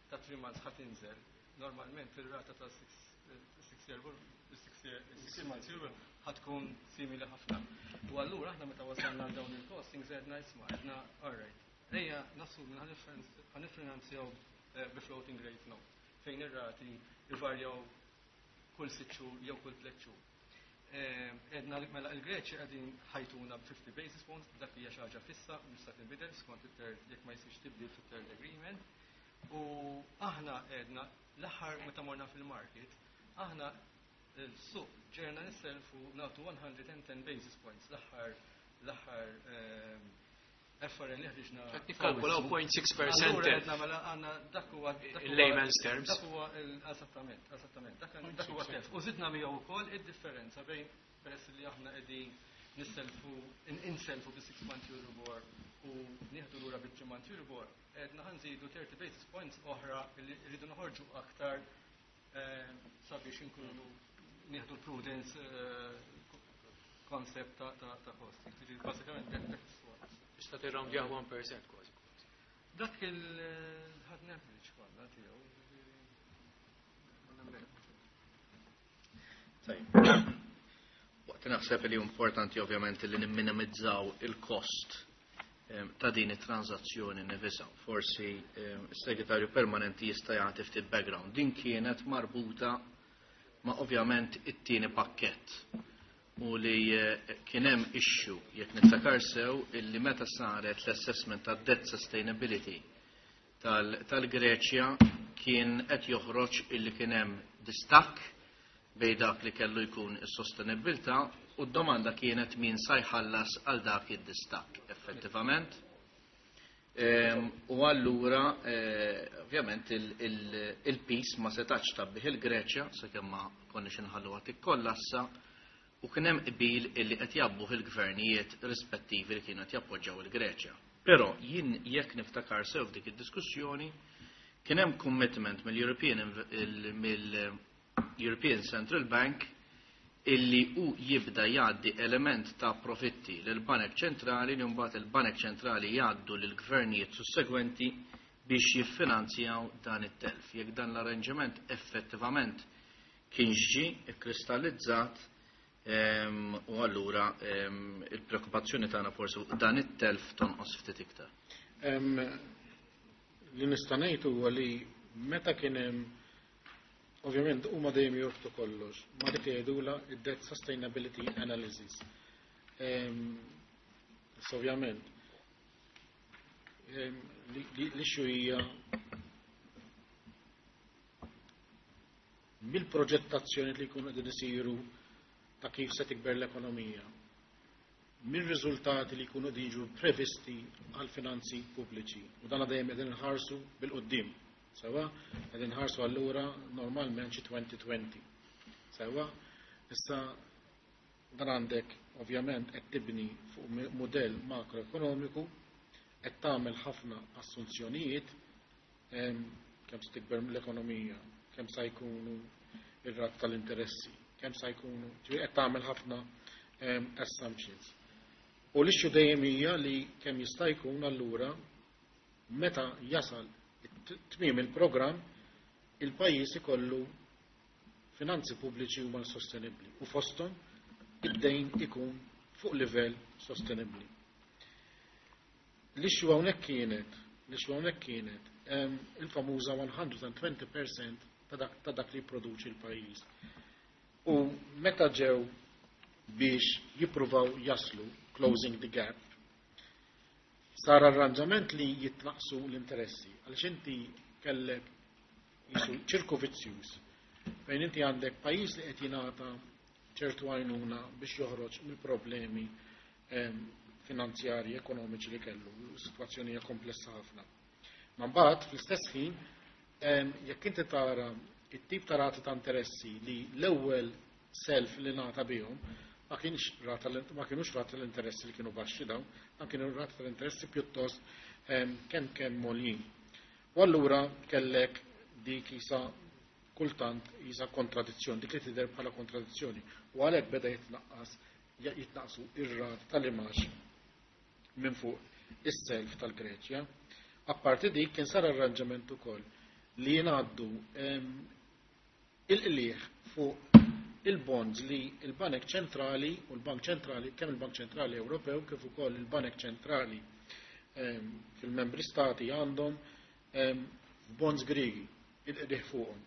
ta' three months ħa tinżel, normalment ir-rata ta' six year six year six months Euribor ħa tkun simili ħafna. U allura aħna meta wasalna għal dawn il-costings għedna isma', għedna alright. Ejja nassumi ħa niffinanzjaw eh, bi floating rate note fejn ir-rati jvarjaw kull sitt xhur jew kull tliet xhur. Għedna li mela il-Greċja qegħdin ħa jtuna b'fifty basis points, dak hija xi ħaġa fissa, mhux se tinbidel skont it-third, jekk ma jsirx tibdil fit-third agreement. U aħna għedna l-aħħar meta morna fil-market, aħna il-suq ġerna nisselfu nagħtu one hundred ten basis points l-aħħar l-aħħar ehm, F R N li ħriġna. Qed nikkalkulaw zero point six percent Allura telf. għedna mela għandna dak huwa dak In huwa- layman's terms. Dak huwa il- eżattament, eżattament. Dak dak huwa telf. U żidna miegħu wkoll id-differenza bejn, peress li aħna qegħdin nisselfu in- inselfu bi six month Euribor u nieħdu lura bi three month Euribor, għedna ħa nżidu thirty basis points oħra li rridu noħorġu aktar eh, sabiex inkunu nieħdu l-prudence eh, concept ta' ta' ta' cost. Jiġifieri bażikament that that's what. Tista' tirroundjah one percent kważi. Dak il-ħadna average kollha tiegħu, jiġifieri, ma nagħmel. Tajjeb. Waqt naħseb li importanti ovvjament li nimminimizzaw il-kost em, ta' din it-transazzjoni nifisha. Forsi em, is-segretarju permanenti jista' jagħti ftit background. Din kienet marbuta ma' ovvjament it-tieni pakkett u li eh, kien hemm issue, jekk niftakar sew, illi meta saret l-assessment ta' debt sustainability tal- tal-Greċja kien qed joħroġ illi kien hemm distakk bejn dak li kellu jkun is-sostenibilità u d-domanda kienet min sa jħallas għal dak id-distakk effettivament. Ehm, U allura, eh, ovvjament, il-piż ma setax tgħabbih il-Greċja, sakemm ma konniex inħalluha tikkollassa, u kien hemm qbil illi qed jgħabbuh il-gvernijiet rispettivi li kienu qed jappoġġjaw il-Greċja. Però jien jekk niftakar sew, f'dik id-diskussjoni kien hemm commitment mill-European il- mill-European Central Bank illi u jibda jgħaddi element ta' profitti lil banek ċentrali li mbagħad il-banek ċentrali jgħaddu lil gvernijiet sussegwenti biex jiffinanzjaw dan it-telf. Jekk dan l-arranġament effettivament kien ġi ikkristallizzat em, u allura em, il-preokkupazzjoni tagħna forsi fuq dan it-telf tonqos ftit iktar. Em, Li nista' ngħid huwa li meta kien hemm, ovvjament huma dejjem jorbtu kollox ma' dik li jgħidula id-debt sustainability analysis. Em, Issa ovvjament em, li- li l-issue hija mill-proġettazzjoni li jkunu qegħdin isiru ta' kif se tikber l-ekonomija, mir-riżultati li jkunu qegħdin jiġu previsti għal finanzi pubbliċi. U dan dejjem qegħdin nħarsu bil-quddiem. Sewwa, qegħdin nħarsu allura normalment xi elfejn u għoxrin. Sewwa, issa dan għandek ovvjament qed tibni fuq mudell makroekonomiku, qed tagħmel ħafna assunzjonijiet em, kemm se tikber l-ekonomija, kemm se jkunu ir-rat tal-interessi, kemm se jkunu, ġifieri qed tagħmel ħafna em, assumptions. U l-issue dejjem hija li kemm jista' jkun allura meta jasal it- tmiem il-programm il-pajjiż ikollu finanzi pubbliċi huma sostenibbli u fosthom id-dejn ikun fuq livell sostenibbli. L-issue hawnhekk kienet, l-issue hawnhekk kienet em, il-famuża mija u għoxrin fil-mija ta' dak, ta' dak li jipproduċi l-pajjiż. U meta ġew biex jippruvaw jaslu closing the gap, sar arranġament li jitnaqsu l-interessi, għaliex inti kellek jisu ċirku vizzjuż fejn inti għandek pajjiż li qed jingħata ċertu għajnuna biex joħroġ mill-problemi em, finanzjarji, ekonomiċi li kellu, situazzjoni hija komplessa ħafna. Ma mbagħad fl-istess ħin em, jekk inti tara it-tip ta' rati ta' interessi li l-ewwel self li ngħata bihom ma kienx rata ma kienux rata l-interessi li kienu baxxi dawn, dan kienu rata tal-interessi pjuttost em, kemm kemm għoljin. U allura kellek dik isa kultant isa kontradizzjoni, dik li tidher bħala kontradizzjoni. U għalhekk beda jitnaqqas jitnaqsu ir-rat tal-imgħax minn fuq is-self tal-Greċja. Apparti dik kien sar arranġament ukoll li jingħaddu em, il-qliħ fuq il-bonds li il-Banek Ċentrali u l-Bank Ċentrali, kemm il-Bank Ċentrali Ewropew kif ukoll il-Banek Ċentrali em, fil-membri stati għandhom em, f'bonds Griegi, il-qliħ fuqhom.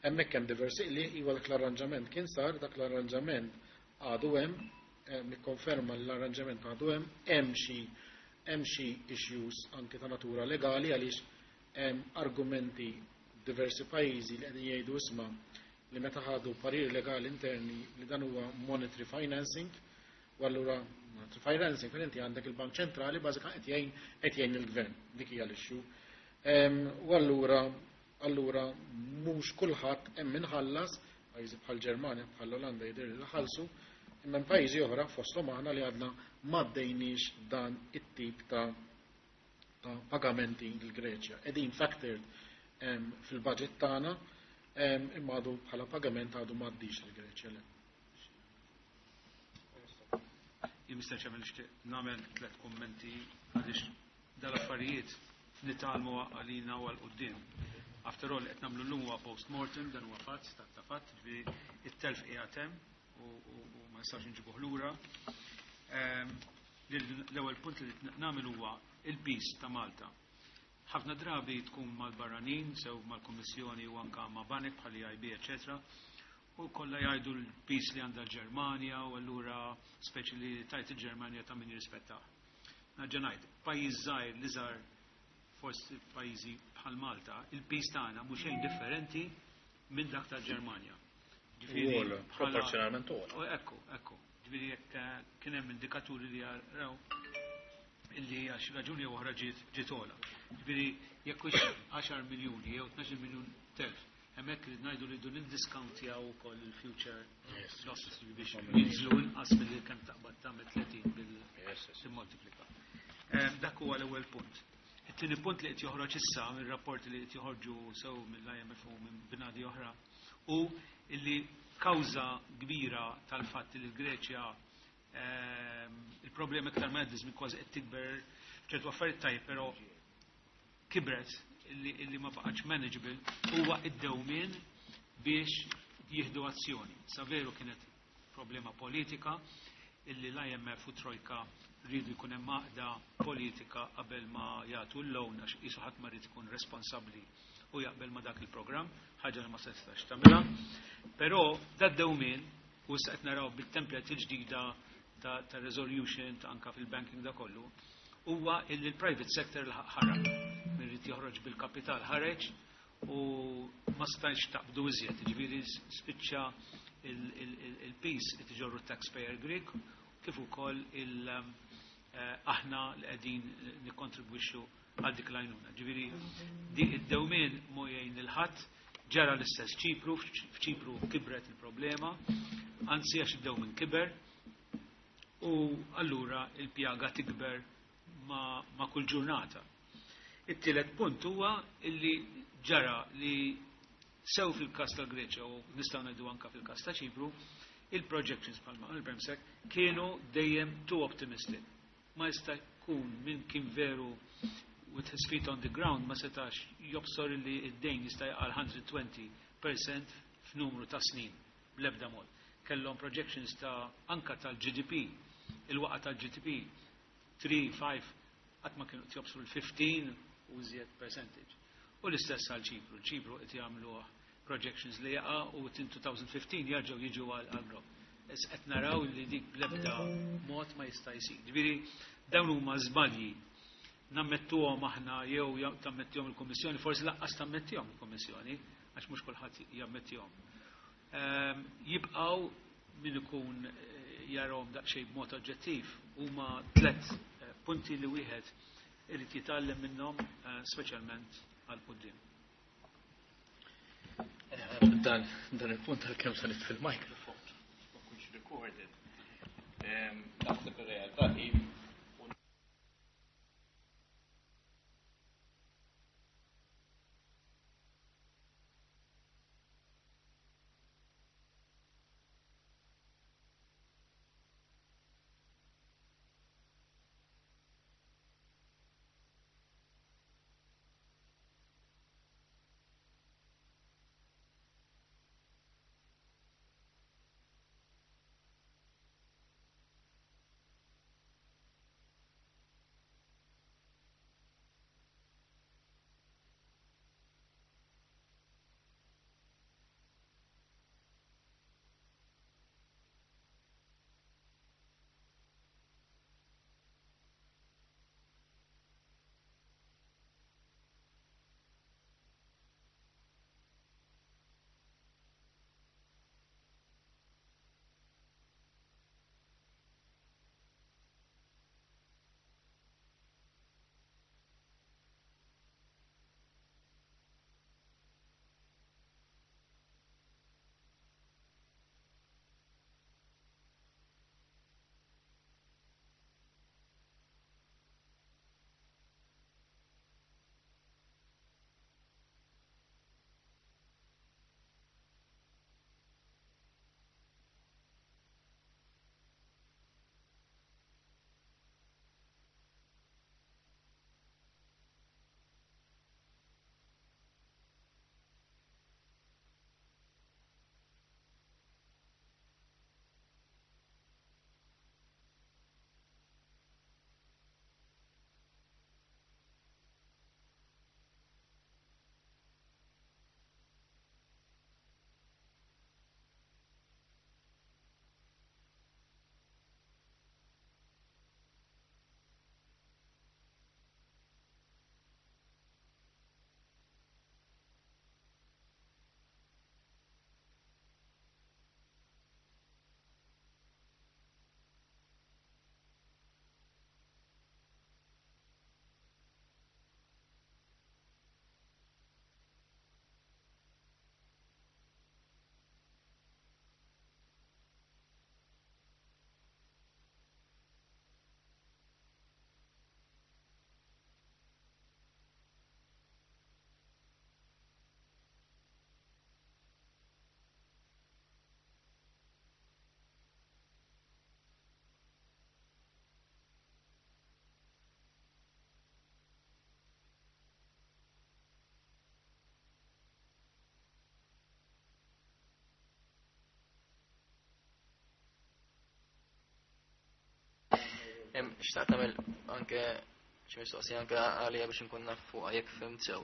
Hemmhekk hemm diversi qliħ, iwa dak l-arranġament kien sar, dak l-arranġament għadu hemm, eh, nikkonferma li l-arranġament għadu hemm, hemm xi hemm xi issues anke ta' natura legali għaliex hemm argumenti diversi pajjiżi li qegħdin jgħidu, isma', li meta ħadu pariri legali interni li dan huwa monetary financing, u allura monetary financing fejn inti għandek il-Bank Ċentrali bażikament qed jgħin qed jgħin il-gvern, dik hija l-issue. Em, U allura allura mhux kulħadd hemm inħallas, pajjiżi bħal Ġermanja, bħal Olanda jidher li ħallsu, imma hemm pajjiżi oħra fosthom aħna li għadna m'għaddejniex dan it-tip ta' ta' pagamenti l-Greċja. Qegħdin factored em, fil-budget tagħna em, imma għadu bħala pagament għadu m'għaddix l-Greċja, le. Jien Mister Chairman nixtieq nagħmel tliet kummenti għaliex dal-affarijiet nitgħallmu għalina u għal quddiem. After all, qed nagħmlu llum huwa post-mortem, dan huwa fatt, stat ta' fatt, ġifieri it-telf qiegħed hemm u ma nistax inġibuh lura. L-ewwel punt li nagħmel huwa il-piż ta' Malta. Ħafna drabi tkun mal-barranin, sew mal-Kummissjoni u anka ma' banek bħal E I B, eċetera, u kollha jgħidu l-piż li għandha l-Ġermanja u allura speċi li tajt il-Ġermanja ta' min jirrispettah. Nerġa' ngħid, pajjiż żgħir li żgħar fost pajjiżi bħal Malta, il-piż tagħna mhux xejn differenti minn dak tal-Ġermanja. Ġifieri Uola, bħala proporzjonalment uola. Ekku, ekku. Ġifieri jekk kien hemm indikaturi li jaraw illi għax raġuni jew oħra ġiet, ġiet ogħla. Ġifieri jekk hux għaxar miljuni jew tnax-il miljun telf, hemmhekk irid ngħidu li dun niddiskawntjaw ukoll il-future Yes. losses biex jinżlu inqas milli kemm taqbad tagħmel tletin bil Yes, yes. timmultiplika. Ehm, dak huwa l-ewwel punt. It-tieni punt li qed joħroġ issa mir-rapporti li qed joħorġu sew mill-I M F u minn bnadi oħra hu illi kawża kbira tal-fatt li l-Greċja, ehm, il-problema iktar ma jgħaddi żmien kważi qed tikber ċertu affarijiet tajjeb, però kibret illi, illi ma baqgħetx manageable huwa id-dewmien biex jieħdu azzjoni. Sa veru kienet problema politika illi l-I M F u Trojka rridu jkun hemm għaqda politika qabel ma jagħtu l-loan għax qisu ħadd ma rrid ikun responsabbli u jaqbel ma dak il-programm, ħaġa li ma setax tagħmilha. Però dad-dewmien u issa qed naraw bit-template il-ġdida ta', ta' resolution ta' anka fil-banking da kollu, huwa illi l-private sector ħarab. Min irid joħroġ bil-kapital ħareġ u ma stajx taqbdu iżjed, jiġifieri spiċċa il-, il-, il-, il-piż qed iġorru taxpayer Greek kif ukoll il-, eh, aħna li qegħdin nikkontribwixxu għal dik l-għajnuna. Ġifieri di id-dewmien mo jgħin lil ħadd, ġara l-istess Ċipru, f'Ċipru kibret il-problema, anzi għax id-dewmien kiber u allura il-pjaga tikber ma, ma kull ġurnata. It-tielet punt huwa illi ġara li sew fil-każ tal-Greċja u nistgħu ngħidu anke fil-każ ta' Ċipru, il-projections bħalma qal Bremsek kienu dejjem too optimistic. Ma jista' jkun min kien veru with his feet on the ground ma setax jobsor li id-dejn jista' jaqal hundred twenty percent f'numru ta' snin bl-ebda mod. Kellhom projections ta' anka tal-G D P, il-waqa tal-G D P three, five, qatt ma kienu qed jobsru l-fifteen u iżjed percentage. U l-istess għal Ċipru. Ċipru qed jagħmlu projections li jaqa' u in two thousand fifteen jerġgħu jiġu għal għal Issa qed naraw li dik bl-ebda mod ma jista' jsir. Ġifieri dawn huma żbalji nammettuhom aħna jew ja-, tammettihom il-Kummissjoni, forsi lanqas tammettihom il-Kummissjoni, għax mhux kulħadd jammettihom. Ehm, jibqgħu min ikun, eh, jarahom daqsxejn b'mod oġġettiv huma tliet, eh, punti li wieħed irid jitgħallem minnhom, eh, speċjalment għal quddiem. Dan, dan il-punt għal kemm se nitfi l-mikrofon, ma kunx recorded. Ehm, naħseb ir-realtà hi Xtaqt nagħmel anke xi mistoqsija anke għalija biex inkun naf fuqha jekk fhimt sew.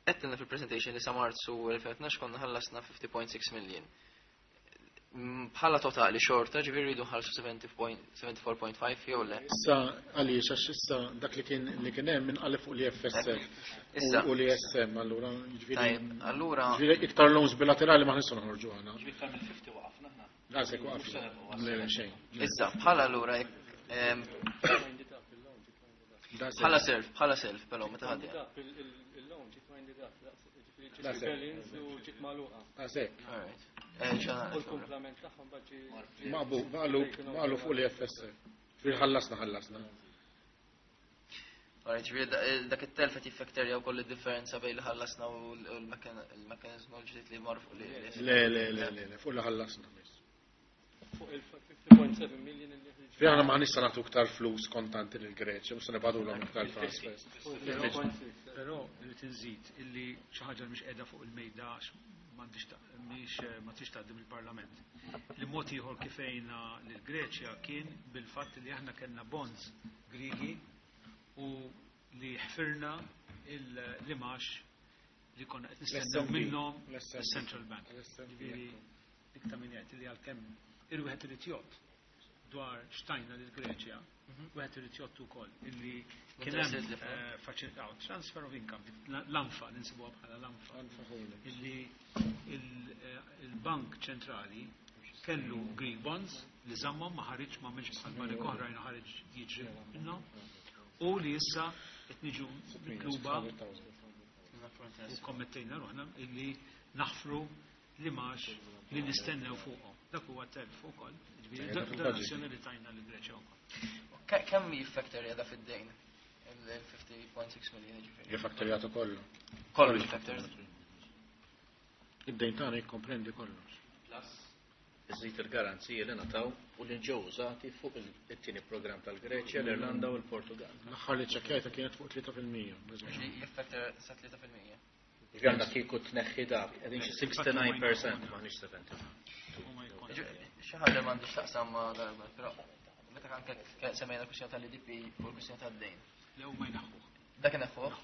Għedtilna fil-presentation li sa Marzu elfejn u tnax konna ħallasna fifty point six million. Bħala totali xorta, ġifieri rridu nħallsu seventy four point five jew le? Issa għaliex, għax issa dak li kien li kien hemm inqaleb fuq l-E F S F u l-E S M, allura ġifieri. Allura. Ġifieri iktar loans bilaterali ma nistgħu noħorġu aħna. Ġifieri iktar minn fifty waqafna aħna. Għasek waqafna. Le, xejn. Issa, bħala allura bħala self, bħala self, però meta ħadja. Il-loan ġiet winded up, ġifieri u ġiet magħluqa. Għasek. All right. U l-komplement tagħhom baġi. Maqbu, maqlu fuq l-E F S F. Fil-ħallasna, ħallasna. Alright, ġifieri dak it-telf qed jiffakterja wkoll id-differenza bejn li ħallasna u l-mekkaniżmu l-ġdid li mar fuq li. Le, le, le, le, fuq li ħallasna. Fuq il-fifty point seven million li Fi aħna ma nista' nagħtu iktar flus kontanti lil Greċja, mhux se nibgħatulhom iktar transfers. Però irid inżid illi xi ħaġa mhix qiegħda fuq il-mejda, m'għandix mhix ma tix tgħaddi mill-Parlament. Li mod ieħor kif għejna lil Greċja kien bil-fatt li aħna kellna bonds Grigi u li ħfirna l-imgħax li konna qed nistennew minnhom il-Central Bank. Ġifieri dik ta' min jgħid li għalkemm il-wieħed irid jgħodd dwar x'tajna lil Greċja, wieħed irid jgħodd ukoll illi kien hemm faċilità transfer of income, l-A N F A li nsibuha bħala l-A N F A, illi il-Bank Ċentrali kellu Greek bonds li żammhom, ma ħareġ, ma għamilx bħal banek oħrajn ħareġ jiġri minnhom, u li issa qed niġu mitluba u kommettejna ruħna illi naħfru l-imgħax li nistennew fuqhom. Dak huwa telf ukoll. Ġifieri donazzjoni li tajna lil Greċja wkoll. Kemm jiffaktorja da fid-dejn? Il-fifty point six million ġifieri. Jiffaktorjatu kollu. Kollu jiffaktorja. Id-dejn tagħna jikkomprendi kollox. Plus, iżid il-garanziji li ngħataw u li ġew użati fuq it-tieni programm tal-Greċja, l-Irlanda u l-Portugal. L-aħħar li ċekkjajta kienet fuq tlieta fil-mija. Jiffaktor sa tlieta fil-mija. Għandna kieku tneħħi dak, qegħdin xi sixty-nine percent, m'aħniex sebgħin. Xi ħaġa m'għandix taqsam ma' darba, però meta anke semmejna kwistjoni tal-I D P u l-kwistjoni tad-dejn. Le, huma jneħħuh. Dak ineħħuh?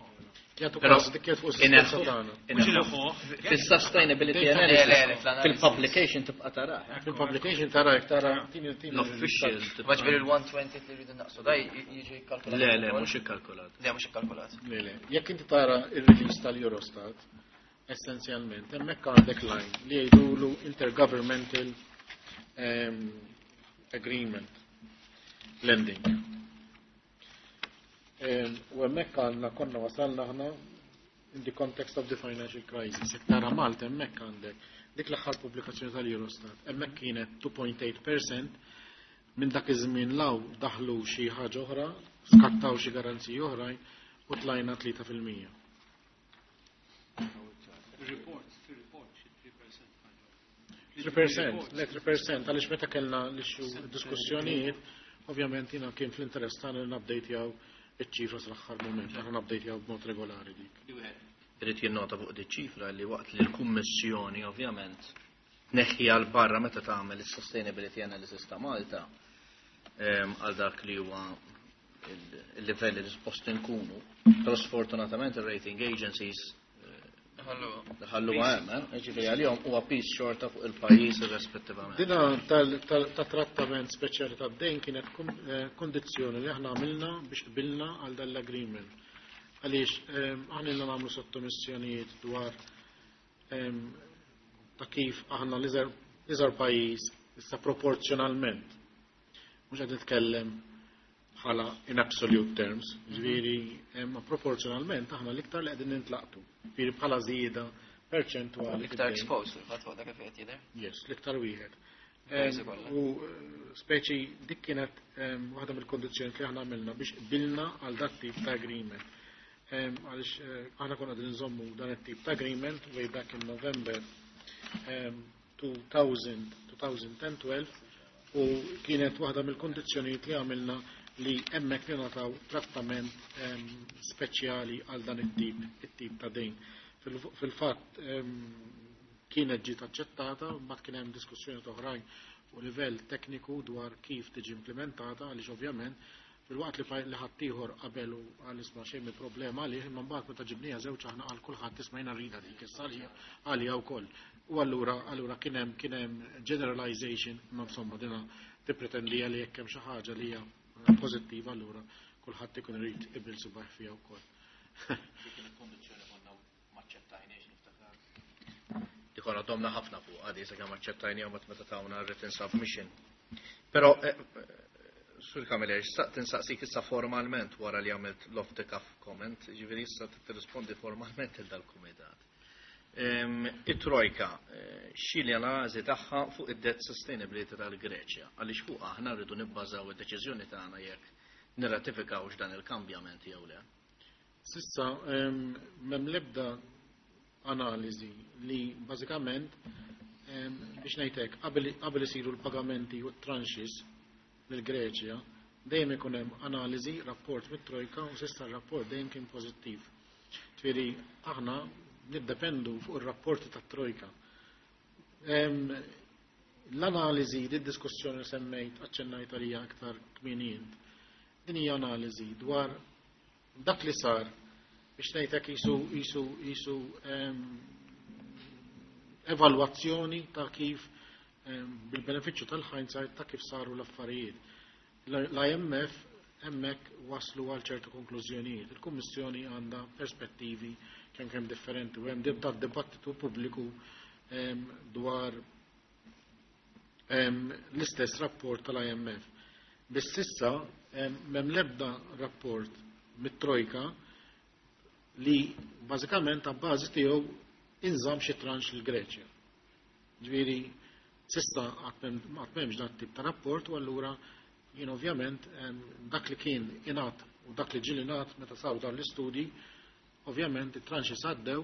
Jagħtu każ dik kienet fuq is-sustanza tagħna. Mhux ineħħuh. Fis-sustainability Le, le, le, analysis, fl-analysis. fil-publication tibqa' tarah. Fil-publication tara jekk tara tini tini. L-official. Ma ġifieri il-one twenty li rridu naqsu, da jiġi kalkulat? Le, le, mhux ikkalkulat. Le, mhux ikkalkulat. Le, le. Jekk inti tara il-release tal-Eurostat, essenzjalment, hemmhekk għandek line li jgħidulu intergovernmental um, agreement lending. Um, u hemmhekk għandna konna wasalna aħna in the context of the financial crisis. Jekk tara Malta, hemmhekk għandek dik l-aħħar pubblikazzjoni tal-Eurostat, hemmhekk kienet two point eight percent. Minn dak iż-żmien 'l hawn daħlu xi ħaġa oħra, skattaw xi garanziji oħrajn u tlajna tlieta fil-mija. Il-report, fil-report xi three percent ħaġa. three percent, le, three percent, għaliex meta kellna l-issue diskussjonijiet, ovvjament jiena kien fl-interess tagħna li nupdatejaw iċ-ċifra sal-aħħar moment, aħna nupdatejaw b'mod regolari dik. Irid jinnota fuq di ċifra li waqt li l-Kummissjoni ovvjament tneħħi għal barra meta tagħmel is-sustainability analysis ta' Malta em, għal dak li huwa il-livelli li suppost inkunu. Però sfortunatament il-rating agencies ħallu hemm, eh? Ġifieri għalihom huwa piż xorta fuq il-pajjiż irrispettivament. Dina tal- ta' trattament speċjali ta' dejn kienet eh, kondizzjoni li aħna għamilna biex qbilna għal dal-agreement. Għaliex eh, aħna ilna nagħmlu sottomissjonijiet dwar em, ta' kif aħna l-iżgħar pajjiż issa proporzjonalment. Mhux qed nitkellem bħala in absolute terms, ġifieri ma proporzjonalment aħna l-iktar li qegħdin nintlaqtu. Ġifieri bħala żieda perċentwali. L-iktar fid-dejn. exposed, fil-fatt, fuq dak kif qed jidher. Yes, l-iktar wieħed. Pajjiżi Em, kollha. U eh, speċi dik kienet em, waħda mill-kondizzjoni li aħna għamilna biex qbilna għal dak tip ta' agreement. Em, Għaliex eh, aħna konna qegħdin nżommu dan it-tip ta' agreement way back in November em, two thousand, twenty twelve u kienet waħda mill-kondizzjonijiet li għamilna li hemmhekk li nagħtaw trattament em, speċjali għal dan it-tip it-tip ta' dejn. Fil- Fil-fatt em, kienet ġiet aċċettata, mbagħad kien hemm diskussjoni oħrajn fuq livell tekniku dwar kif tiġi implementata, għaliex ovvjament fil-waqt li ħaddieħor qabel u għal isma' xejn mi problema għalih, imma mbagħad meta ġibniha żewġ aħna għal kulħadd isma' jiena rridha dik issa għalija wkoll. U allura allura kien hemm kien hemm generalization, imma insomma dina tippretendi li jekk hemm xi ħaġa li hija pożittiva allura kulħadd ikun irid ibil subaħ fiha wkoll. Dik il-kondizzjoni konna maċċettajniex niftakar. Dik konna domna ħafna fuq għadi sakemm aċċettajniha meta tawna written submission. Però Sur Camilleri, xtaqt insaqsik issa formalment wara li għamilt l-off the cuff comment, ġifieri issa tirrispondi formalment il dal-kumitat. It-Trojka, xi l-analiżi tagħha fuq id-debt sustainability tal-Greċja, għaliex fuq aħna rridu nibbażaw id-deċiżjoni tagħna jekk nirratifikawx dan il-kambjament jew le. Sissa m'hemm l-ebda analiżi li bażikament biex ngħidlek qabel isiru l-pagamenti u t-tranches lill-Greċja dejjem ikun hemm analiżi, rapport mit-Trojka u s'issa r-rapport dejjem kien pożittiv. Ġifieri aħna niddependu fuq ir-rapporti tat-Trojka. L-analiżi, di diskussjoni li semmejt, aċċennajt għalija aktar kmieni int, din hija analiżi dwar dak li sar biex ngħidlek jisu jisu jisu evalwazzjoni ta' kif bil-benefiċċju tal-hindsight ta' kif saru l-affarijiet. L-I M F hemmhekk waslu għal ċertu konklużjonijiet. Il-Kummissjoni għandha perspettivi kemm kemm differenti u hemm dibattitu pubbliku dwar l-istess rapport tal-I M F. Biss issa m'hemm l-ebda rapport mit-Trojka li bażikament ta' bażi tiegħu inżamm xi tranche l-Greċja. Ġifieri s'issa għad m'hemmx dat tip ta' rapport u allura jien ovvjament dak li kien ingħad u dak li ġieli ngħad meta saru dan l-istudji, ovvjament it-tranches għaddew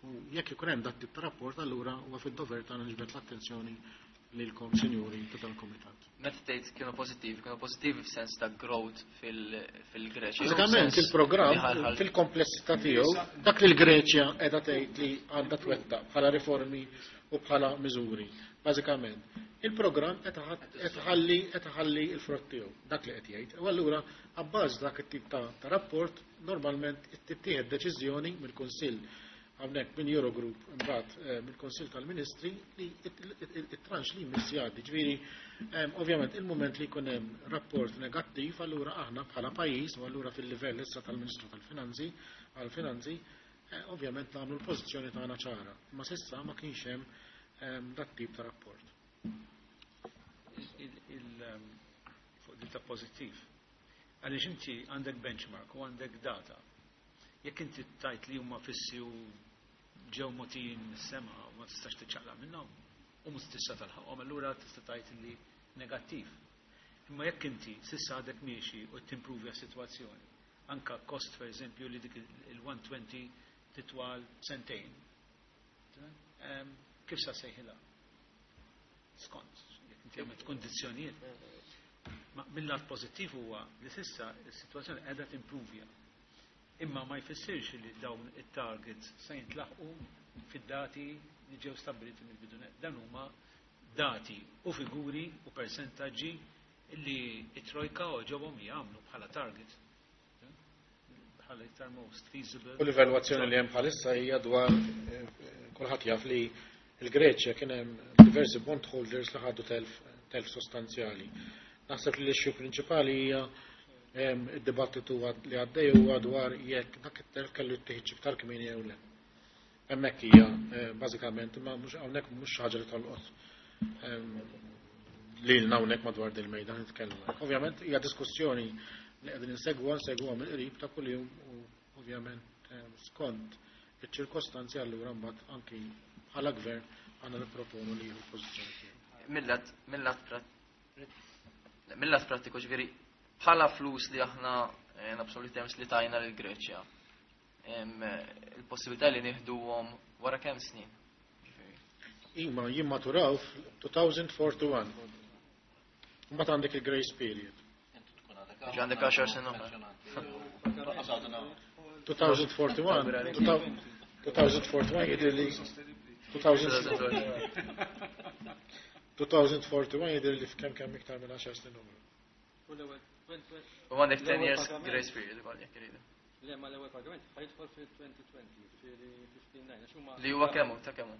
u jekk ikun hemm dat tip ta' rapport allura huwa fid-dover tagħna niġbed l-attenzjoni lilkom, sinjuri ta' tal-komitat. Meta tgħid kienu pożittivi, kienu pożittivi f'sens ta' growth fil-Greċja. Bażikament il-programm fil-komplessità tiegħu, dak li l-Greċja qiegħda tgħid li għandha twettaq bħala riformi u bħala miżuri. Bażikament, il-programm qed iħalli qed iħalli l-frott tiegħu, dak li qed jgħid. U allura abbażi dak it-tip ta' rapport normalment tittieħed deċiżjoni mill-Kunsill hawnhekk minn Eurogroup, imbagħad eh, mill-Kunsill tal-Ministri, li it-tranche li jmiss jgħaddi. Ġifieri ovvjament il-mument li jkun hemm rapport negattiv allura aħna bħala pajjiż u allura fil-livell issa tal-Ministru tal-Finanzi għall-Finanzi eh, ovvjament nagħmlu l-pożizzjoni tagħna ċara. Imma s'issa ma kienx hemm dat tip ta' rapport. Fuq din ta' pożittiv. Għaliex inti għandek benchmark u għandek data. Jekk inti tajt li huma fissi u ġew mogħtijin mis-sema u ma tistax tiċċaqlaq minnhom u mhux tista' talħaqhom, allura tista' tajt li negattiv. Imma jekk inti s'issa għadek miexi u timprovja s-sitwazzjoni, anka kost per eżempju li dik il-one twenty titwal sentejn. Kif sa sejħilha? Skont, jekk inti għamilt kondizzjonijiet. Ma mill-lat pożittiv huwa li s'issa s-sitwazzjoni qiegħda timpruvja. Imma ma jfissirx li dawn it-targets se jintlaħqu fid-dati li ġew stabiliti mill-bidunet. Dan huma dati u figuri u persentaġġi li it-trojka ġobhom jagħmlu bħala target. Bħala iktar most feasible. U l-evalwazzjoni li hemm bħalissa hija dwar eh, kulħadd jaf li l-Greċja kien hemm diversi bondholders li ħadu telf telf sostanzjali. Naħseb li l-issue prinċipali hija id-dibattitu li għaddej huwa dwar jekk dak it-telf kellu jittieħed iktar kmieni jew le. Hemmhekk hija eh, bażikament, imma mhux hawnhekk, mhux ħaġa li tolqot lilna hawnhekk madwar dil-mejda nitkellmu. Ovvjament hija diskussjoni li qegħdin insegwa nsegwa mill-qrib ta' kuljum u ovvjament skont iċ-ċirkostanzi allura mbagħad anki bħala gvern għandna nipproponu li jieħu pożizzjoni tiegħu. Millat millat prattiku, ġifieri bħala flus li aħna in absolute terms li tajna lil Greċja. Il-possibilità li nieħduhom wara kemm snin? Ima jimmaturaw f' elfejn u erbgħa u erbgħin. Mbagħad għandek il-grace period. Ġi għandek għaxar snin oħra. elfejn u erbgħa u erbgħin, elfejn u erbgħa u erbgħin jidher li twenty forty-one jidher li f'kemm kemm iktar minn għaxar snin oħra. U għandek ten years grace period ukoll jekk iridu. Le, ma l-ewwel pagament ħajidħol fil-twenty twenty, ġifieri fifteen nine, għax huma Li huwa kemm hu, ta' kemm hu?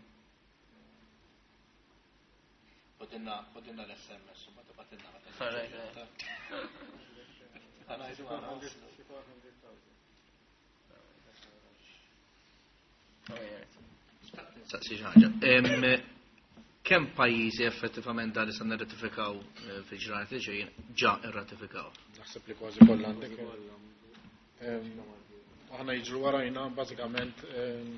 Ħodilna, ħodilna l-S M S u ma tibgħatilna meta All right, niġu. yeah. Għanajdu għana. Saqsi xi ħaġa. Em, kemm pajjiżi effettivament dan li se nirratifikaw, eh, fil-ġranet li ġejjin ġa irratifikaw? Naħseb li kważi kollha għandek. Em, aħna jiġru warajna bażikament, em,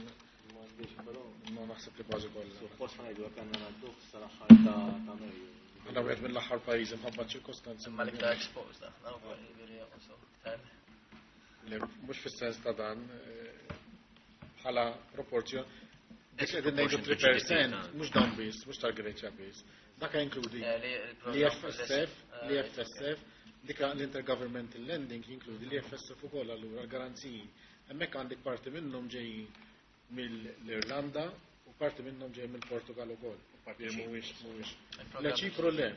ma naħseb li kważi kollha. Suppost ħajdu jekk għandna ngħadduh sal-aħħar ta', ta' Mejju. Aħna wieħed mill-aħħar pajjiżi mħabba ċirkostanzi. Imma l-iktar exposed aħna wkoll, jiġifieri, also, iktar. Le, mhux fis-sens ta' dan, eh, bħala proporzjon. Dik qegħdin ngħidu three percent, mhux dawn biss, mhux tal-Greċja biss. Dak jinkludi Eh, li il-programm l-I F S F, eh, l-I F S F, dik l-intergovernmental lending jinkludi l-I F S F ukoll allura l-garanziji. Hemmhekk għandek parti minnhom ġejjin mill-Irlanda u parti minnhom ġejjin mill-Portugal ukoll. Parti Li Ċipru. mhuwiex, mhuwiex. Il-programm Le Ċipru le.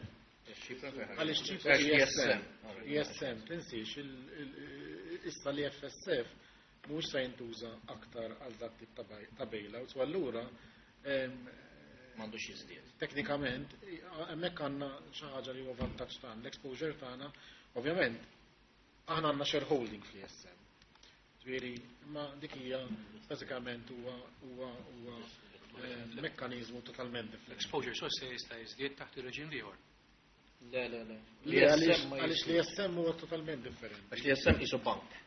Ċipru le. Għaliex Ċipru Għax I S M. I S M. I S M, tinsiex, il-, il-, issa l-I F S F mhuwiex se jintuża aktar għal dak tip ta' baj-, ta' bailouts, u allura, em, M'għandux jiżdied. Teknikament, hemmhekk għandna xi ħaġa li huwa vantaġġ tagħna, l-exposure tagħna, ovvjament, aħna għandna shareholding fl-I S M. Ġifieri, ma dik hija bażikament huwa, huwa, huwa, eh, mekkaniżmu totalment differenti. L-exposure so se jista' jiżdied taħt ir-reġim ieħor. Le, le, le. Li L-I S M għaliex ma għaliex jiżdied. l-I S M huwa totalment differenti. Għax l-I S M qisu bank.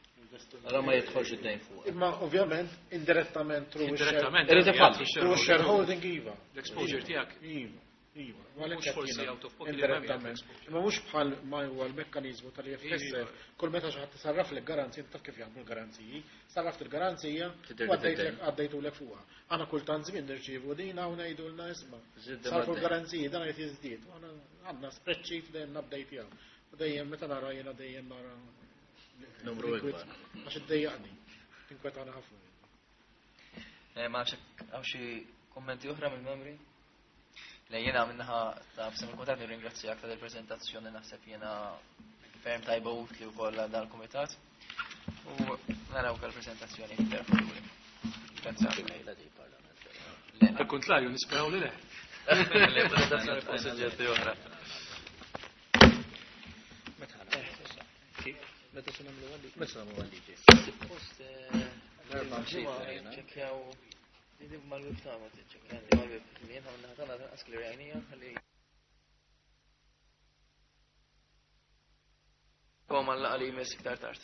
Allora ma jidħolx id-dejn fuq. Imma ovvjament indirettament through Indirettament, Irid ifalli. jagħti through shareholding iva. L-exposure tiegħek. Iva, iva. U għalhekk Mhux forsi qed out of pocket, indirettament. imma Imma mhux bħal ma huwa l-mekkaniżmu tal-I F S F. Iva. Kull meta xi ħadd isarraf lek garanzija, taf kif jaħdmu l-garanziji, sarraft il-garanzija Tidher u li għaddejtlek tidher. għaddejtulek fuqha. Aħna kultant żmien nirċievu dina u ngħidulna isma'. Żied Sarfu dejjem. l-garanziji, dan qed jiżdied. U aħna għandna spreadsheet dejjem nabdejtjaw. U dejjem meta nara jiena dejjem nara Numru Liquid. ikbar. Għax iddejjaqni. Tinkwetana ħafna. Eh, ma nafx hekk hawn xi kummenti oħra mill-membri? Le, jiena minnaħa ta' f'sem il-kumitat nirringrazzjak ta' del-preżentazzjoni, naħseb jiena ferm tajba utli wkoll għal dal-kumitat. U naraw ukoll preżentazzjoni iktar futuri. Grazzi ħafna. Le, Al kontrarju, nisperaw li le. Le, preżentazzjoni fuq suġġetti oħra. Kif? Meta se nagħmlu għalli? Meta se nagħmlu għalli? Suppost, eh, L-erba' ġimgħa mxejt, jena. ċekkjaw li mal-web tagħna, tiċċekkjaw li mal-web li jien ħamna ħatana tanqas li rajnija ħalli Kom għal-laqgħa li jmiss iktar tard.